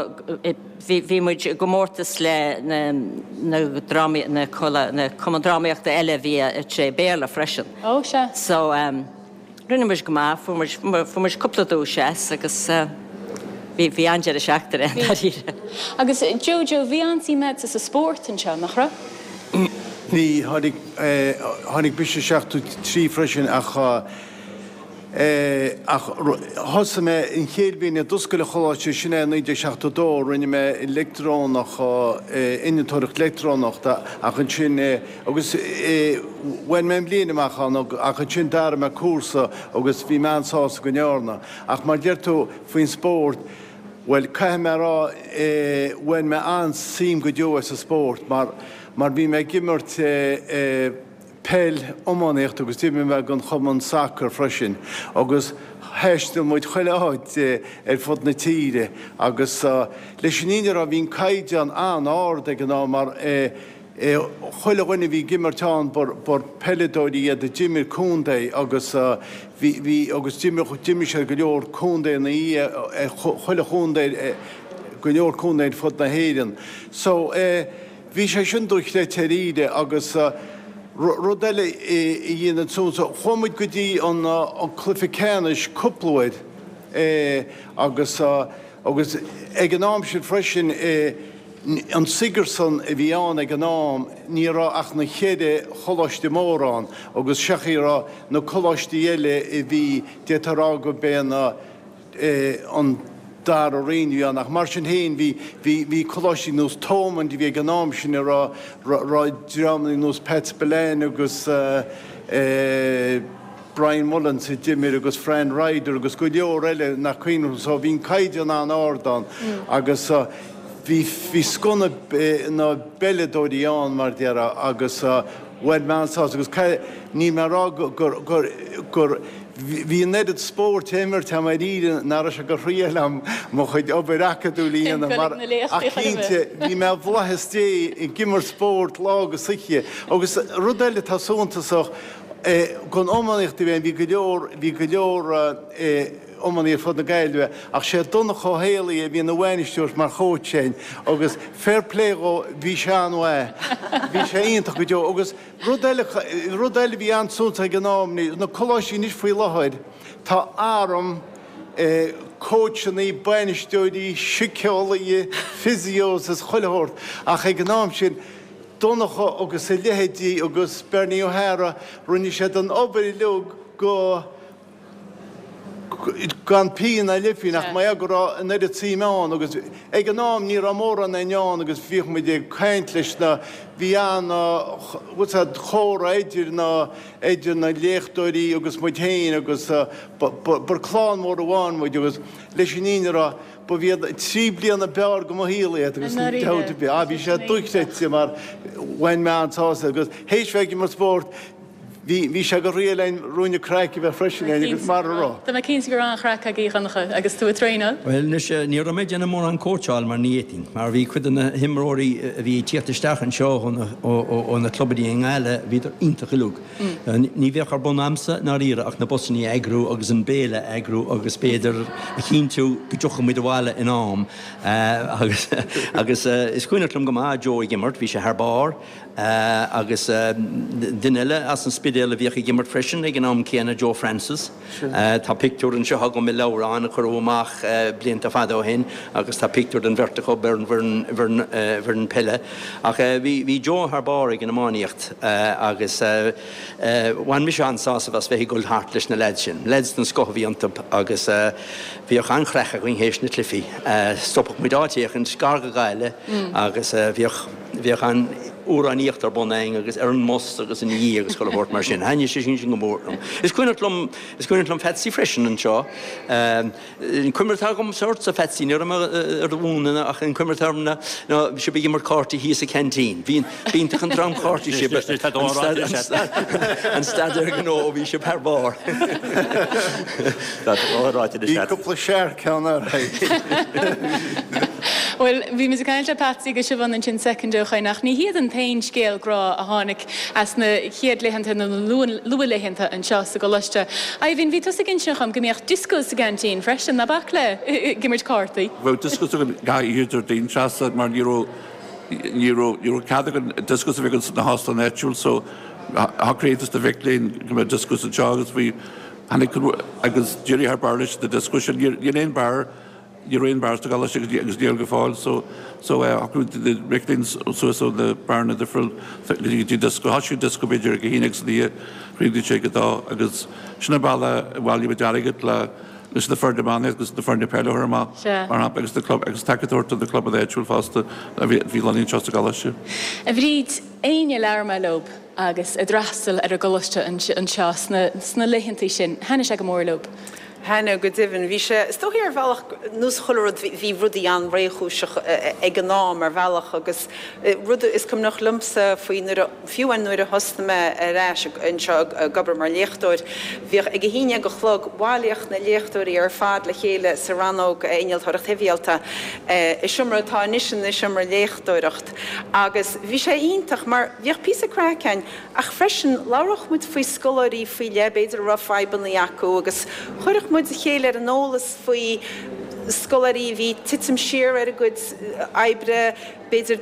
bhí bhí muid i gcomórtas le na na drámaí na na cumann drámaíochta eile a bhí tré Béarla freisin. Ó sea. So Rinne muid go maith, fuair muid, fuair muid cúpla duais as agus bhí, bhí an-deireadh seachtaine ann dáiríre. Agus Joe, bhí an-suim agatsa sa spórt anseo, nach raibh? Bhí, tháinig, tháinig mise isteach 73 freisin ach, ach thosaigh mé an chéad bhliain a d'oscail an choláiste, sin é 1972, rinne mé leictreonach, innealtóireacht leictreonach ach ansin, Agus bhain mé an bhliain amach ann ach ansin d'athraigh mé cúrsa agus bhí mé an-sásta go ndearna. Ach mar deir tú faoin spórt, bhuel caithfidh mé a rá bhain mé an-suim go deo as an spórt mar mar bhí mé ag imirt peil, iománaíocht agus d'imir mé don chumann sacair freisin agus thaistil muid chuile áit ar fud na tíre agus leis an fhírinne a rá bhí an caighdeán an-ard ag an am mar Chuile dhuine a bhí ag imirt ann ba peileadóirí iad a d'imir contae agus bhí, bhí, agus d'imir, d'imir siad go leor contae chuile chontae, go leor contae ar fud na hÉireann. So, bhí sé sin dochreidte dáiríre agus rud eile a dhéanann suas, chuaigh muid go dtí an cluiche ceannais cúpla uair agus, Agus ag an am sin freisin, an Sigerson a bhí ann ag an am, ní raibh ach na cheithre choláiste móra ann agus seachas a raibh na coláistí eile a bhí, d'fhéadfá a rá go b'é an dara roinn a bhí ann ach mar sin féin bhí, bhí, bhí coláistí nós Thomond a bhí ag an am sin a raibh, raibh dreamanna nós Pat Spillane agus eh, Brian Mullins a d'imir agus Fran Ryder agus go leor eile nach cuimhin liom so bhí an caighdeán an-ard ann agus bhí bhí scoth na na bpeileadóirí ann mar déarfá agus bhain mé an-sásamh agus níl mé ag rá gur gur gur bhí an oiread spóirt á imirt agam dáiríre nach raibh sé de thriail agam mo chuid obair acadúil a dhéanamh mar ach cinnte bhí mé i bhflaitheas Dé ag imirt spóirt lá agus oíche agus rud eile atá suntasach Don iománaíocht a bhí ann, bhí go leor, bhí go leor iománaí ar fud na Gaillimhe ach sé Donncha Ó Héalaí a bhí ina bhainisteoir mar chóits againn agus fair play dhó, bhí sé an-mhaith. Bhí sé iontach go deo agus rud eile, rud eile a bhí an-suntasach ag an am, na coláistí anois faoi láthair, tá arm cóitseanna, bainisteoirí, síceolaithe, physios is chuile shórt ach ag an am sin, Donncha agus a leithéidí agus Bernie O'Hara, rinne siad an obair uilig go gan pian ná leithphian ach mar gheall go raibh an oiread suime ann agus ag an am ní raibh mórán againn ann agus bhíodh muid ag caint leis na, bhí an, what's that, chomhrá idir na, idir na léachtóirí agus muid féin agus ba, ba, ba clann mhór amháin muid agus leis an fhírinne a rá, Ba iad 3 bliana b'fhearr de mo shaol iad agus níl dabht ar bith. Ah bhí sé dochreidte mar bhain mé an-sásamh agus théis bheith ag imirt spóirt bhí bhí sé de thriail againn ruainne craic a bheith freisin againn agus mar a raibh. Tá mé cinnte go raibh an-chraic agaibh a Dhonncha agus tú ag traenáil. Bhuel anois ní raibh mé ag déanamh mórán cóitseáil mar ní fhéadfainn mar bhí cuid de na himreoirí a bhí ag tíocht isteach anseo ó na ó na clubanna i nGaillimh bhíodar iontach uilig. Ní bheadh ar bun a'msa i ndáiríre ach na busannaí a eagrú agus an béile a eagrú agus b'fhéidir a chinntiú go dtiocfadh muid abhaile in am. Agus agus is cuimhneach liom go maith Joe ag imirt, bhí sé thar barr. Agus duine eile as an Spidéal a bhíodh ag imirt freisin ag an am céanna, Joe Francis. Tá pictiúr anseo agam i leabhrán a cuireadh amach blianta fada ó shin agus tá pictiúr den bheirt acu ar an bhfoireann peile. Ach bhí Joe thar barr ag an iománaíocht agus bhain mise an-sásamh as bheith ag dul thart leis na leaids sin. Leaids den scoth a bhí iontu agus bhíodh an-chraic againn théis na cluichí. Stopadh muid áit éicint gar go Gaillimh agus bhíodh, bhíodh an. amhránaíocht ar bun againn agus ar an mbus agus ina dhiaidh agus chuile shórt mar sin. Thaitnigh sé sin go mór liom. Is cuimhneach liom, is cuimhneach liom Patsy freisin anseo. An cuimhne atá agamsa ortsa, Phatsy, ní raibh mé ar do mhúineadh ach an cuimhne atá orm ná bhí sibh ag imirt cártaí thíos sa canteen. Bhí b'iontach an dream cártaí sibh. An staidéar gnó, bhí sibh thar barr. Bhí cúpla searc ann ar Bhuel, bhí muid ag caint le Patsy agus Siobhán ansin soicind ó shoin ach ní hiad an t-aon scéal grá a tháinig as na chéad laethanta nó na luathlaethanta anseo sa gcoláiste. Ivan, bhí tusa ag insint dhom go mbíodh dioscós sa gceaintín freisin, ná bac le ag imirt cártaí? Bheadh dioscós againn gach oíche Déardaoin Treasa mar ní raibh ní raibh ní raibh cead againn dioscós a bheith againn sna hóstáin áitiúil so shocraigh Aontas na Mhic Léinn go mbeadh dioscós anseo agus bhí tháinig agus d'éirigh thar barr leis na dioscóis sin. Níl aon beár Ní raibh aon beár sa gcoláiste agus agus níl go fóill so so eh shocraigh na mic léinn suas ó na beáranna difriúil go dtí dioscó. Thosaigh dioscó b'fhéidir ag a haon déag san oíche, chríochnaigh sé ag a dó agus sin an bealach a bhailigh muid airgead le leis na foirne iomána agus na foirne peile a chur amach mar shampla agus na club agus tacaíocht a thabhairt do na clubanna áitiúil fosta a bhí bhí lonnaithe anseo sa gcoláiste. A Bhríd, éinne a labhair mé leob agus a d'fhreastail ar an gcoláiste anseo sna sna laethantaí sin, thaitnigh sé go mór leob. Thaitnigh, go deimhin. Bhí sé, is dóichí ar bhealach, nós chuile rud, bhí rudaí an-réchúiseach ag an am ar bhealach agus rud is cuimhneach liomsa faoi nuair a, fiú amháin nuair a thosnaigh mé ar ais anseo ag obair mar léachtóir, bhíodh ag a haon déag a chlog, bhailíodh na léachtóirí ar fad le chéile sa rannóg Innealtóireacht Shibhialta i seomra atá anois ina seomra léachtóireacht agus bhí sé iontach mar bhíodh píosa craic ann Ach freisin, labhródh muid faoi scoláirí faoi leith, b'fhéidir, a raibh fadhbanna acu agus chuirfeadh muid a chéile ar an eolas faoi scoláirí a bhí ag titim siar ar a gcuid oibre, b'fhéidir,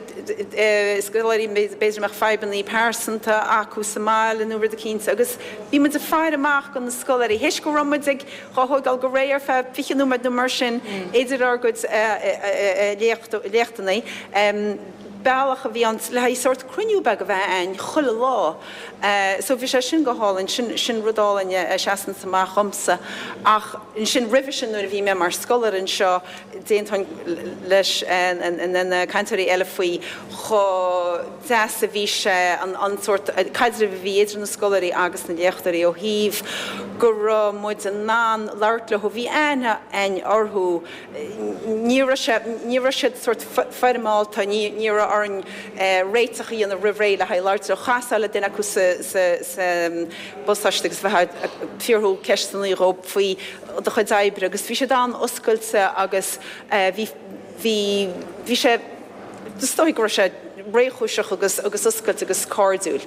scoláirí b'fhéidir a mbeadh fadhbanna pearsanta acu sa mbaile nó rud eicínt agus bhí muid ag faire amach do na scoláirí. Théis go raibh muid ag dhá thóigeáil go réidh ar feadh 20 nóiméad nó mar sin idir ár gcuid léachtanna. Bealach a bhí ann le haghaidh sórt cruinniú beag a bheith a'ainn chuile lá. So bhí sé sin go hálainn, sin, sin rud álainn a seasanns amach dhomsa. Ach ansin roimhe sin nuair a bhí mé mar scoláire anseo, d'aontóinn leis na cainteoirí eile faoi chomh deas a bhí sé an, an sórt caidreamh a bhí idir na scoláirí agus na léachtóirí ó thaobh go raibh muid in ann labhairt leo, bhí aithne a'ainn orthu, Ní raibh sé, ní raibh siad sórt foirmeálta, ní, ní raibh orainn réiteach a dhéanamh roimh ré le haghaidh labhairt leo. Chasfá le duine acu sa, sa, sa bhuntáiste agus bheifeá ag fiafraí ceisteanna dhóibh faoi do chuid oibre agus bhí siad an-oscailte agus bhí, bhí, bhí sé, Is dóigh go raibh sé réchúiseach agus agus oscailte agus cairdiúil.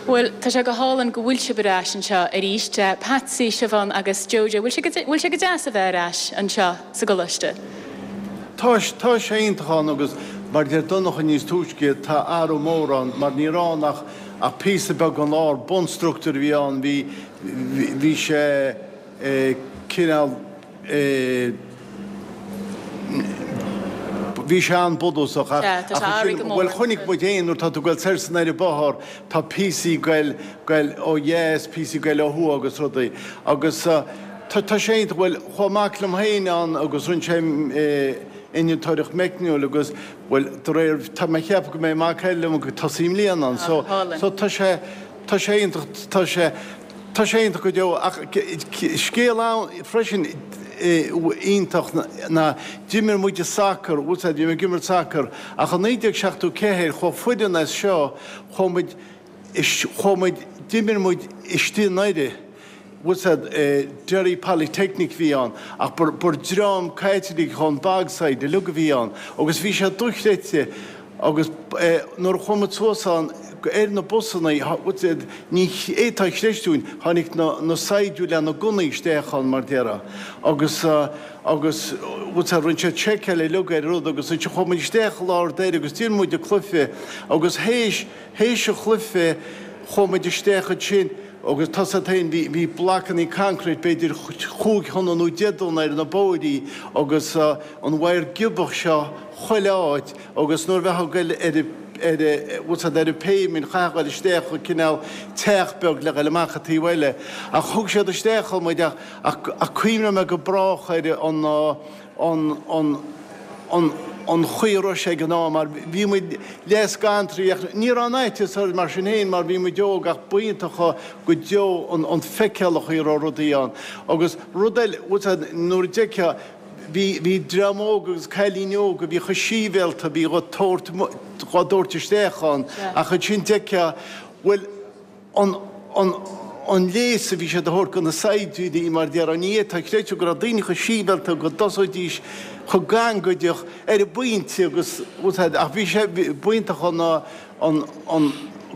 Bhuel, tá sé go hálainn go bhfuil sibh ar ais anseo arís. Patsy, Siobhán agus Jojo, bhfuil sé go, bhfuil sé go deas a bheith ar ais anseo sa gcoláiste? Tá, tá sé iontach ann agus mar a deir Donncha níos túisce, tá athrú mór ann mar ní raibh ann ach ach píosa beag an lár, bunstruchtúr a bhí ann, bhí, bhí sé cineál, Bhí sé an-bhunúsach ach ansin, bhuel chonaic muid fhéin nuair atá tú ag goil soir is anoir an bóthar, tá píosaí ag goil, goil ó dheas, píosaí ag goil ó thuaidh agus rudaí. Agus tá, tá sé iontach, bhuel chuaigh mac liom féin ann agus rinne sé innealtóireacht meicniúil agus bhuel de réir, tá mé ag ceapadh go mbeidh mac eile liom ag tosaí i mbliana ann so, so tá sé, tá sé iontach, tá sé. Tá sé iontach go deo ach scéal ann freisin iontach ná d'imir muid sacar, bhfuil 's a'd, bhí mé ag imirt sacar ach i 1974 chuaigh foireann as seo, chuaigh muid, chuaigh muid, d'imir muid istigh i nDoire, bhfuil 's a'd, Derry Polytechnic a bhí ann ach ba dream Caitliceach ón Bogside uilig a bhí ann agus bhí sé dochreidte. Agus nuair a chuaigh muid suas ann ar na busanna, ní fhéadfá a chreistiúint, tháinig na saighdiúirí le na gunnaí isteach ann, mar déarfá. Agus, agus, bhfuil 's a'd, rinne siad seiceáil uilig ar an rud agus ansin chuaigh muid isteach i lár Doire agus d'imir muid an cluiche agus théis, théis an chluiche chuaigh muid isteach ansin agus tá 's a'd féin, bhí, bhí blocannaí concrete b'fhéidir chúig thonna nó deich dtonna ar na bóithrí agus an wire giobach seo chuile áit Agus nuair a bheifeá ag goil ar an, ar an, bhfuil 's a'd, ar an pavement, chaithfeá goil isteach i cineál teach beag le goil amach an taobh eile. Ach thug siad isteach ann muid ach, ach, ach cuimhneoidh mé go brách ar an, an, an. an an chaoi a raibh sé ag an am mar bhí muid leath scanraithe ach ní raibh an fhaitíos orainn mar sin féin mar bhí muid óg ach b'iontach go deo an an feiceáil an chaoi a raibh rudaí ann agus rud eile bhfuil a fhios agat nuair a d'fheicfeá bhí bhí dream óg agus cailíní óga a bhí chomh síbhéalta a bhí dhá dtabhairt dhá dtabhairt isteach ann ach ansin d'fheicfeá bhuel an an an léas a bhí siad a thabhairt do na saighdiúirí mar déarfá ní fhéadfá a chreidiúint go raibh daoine chomh síbhéalta go dtosóidís chomh gangaideach ar an bpointe agus ach bhí sé b'iontach an an an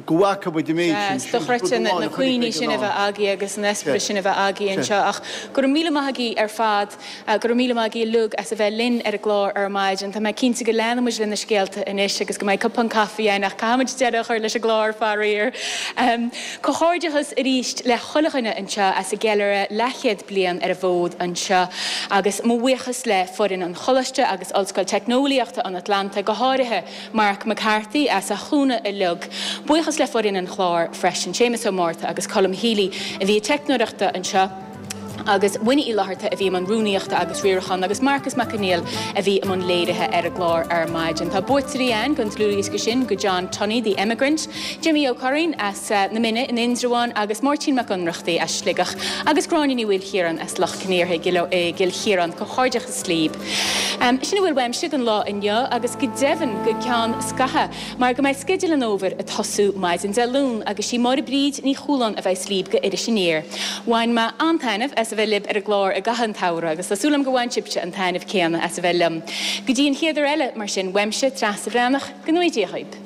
go bhfaca muid an méid sin. Is dochreidte na cuimhní sin a bheith agaibh agus an eispéireas sin a bheith agaibh anseo ach go raibh míle maith agaibh ar fad. Go raibh míle maith agaibh uilig as a bheith linn ar an gclár ar maidin. Tá mé cinnte go leanfaidh muid le na scéalta anois agus go mbeidh cupán caife againn ach caithfimid deireadh a chur leis an gclár, faraor. Comhghairdeachas arís le chuile dhuine anseo as an gceiliúradh leathchéad bliain ar an bhfód anseo agus mo bhuíochas le foireann an Choláiste agus Ollscoil Teicneolaíochta an Atlantaigh, go háirithe Mark McCarthy as a chúnamh uilig. Buíochas le foireann an chláir freisin, Séamus Ó Márta agus Colm Healy a bhí ag teicneoireachta anseo. agus Winnie Uí Fhlatharta a bhí i mbun rúnaíochta agus riaracháin agus Marcus Mac Conghail a bhí i mbun léirithe ar an gclár ar maidin. Tá buaiteoirí ann don dlúthdhiosca sin go John Tunney, The Emigrant, Jimmy Ó Curraoin as na Mine in Indreabhán agus Máirtín Mac Ionnrachtaigh as Sligeach agus Gráinne Ní Mhaoilchiaráin as Loch Con Aortha i gCill Chiaráin. Comhghairdeachas libh. Sin a bhfuil uaimse don lá inniu agus go deimhin go ceann scaithimh. Mar go mbeidh sceideal an fhómhair ag tosú maidin Dé Luain agus sí Máire Bríd Ní Chualáin a bheas libh go Iris Aniar. Bhain mé an-taitneamh as a bheith libh ar an gclár i gcaitheamh an tsamhraidh agus tá súil agam gur bhain sibhse an taitneamh céanna as a bheith liom. Go dtí an chéad uair eile, mar sin, uaimse, Treasa Bhreathnach, go ngnóthaí Dia dhaoib.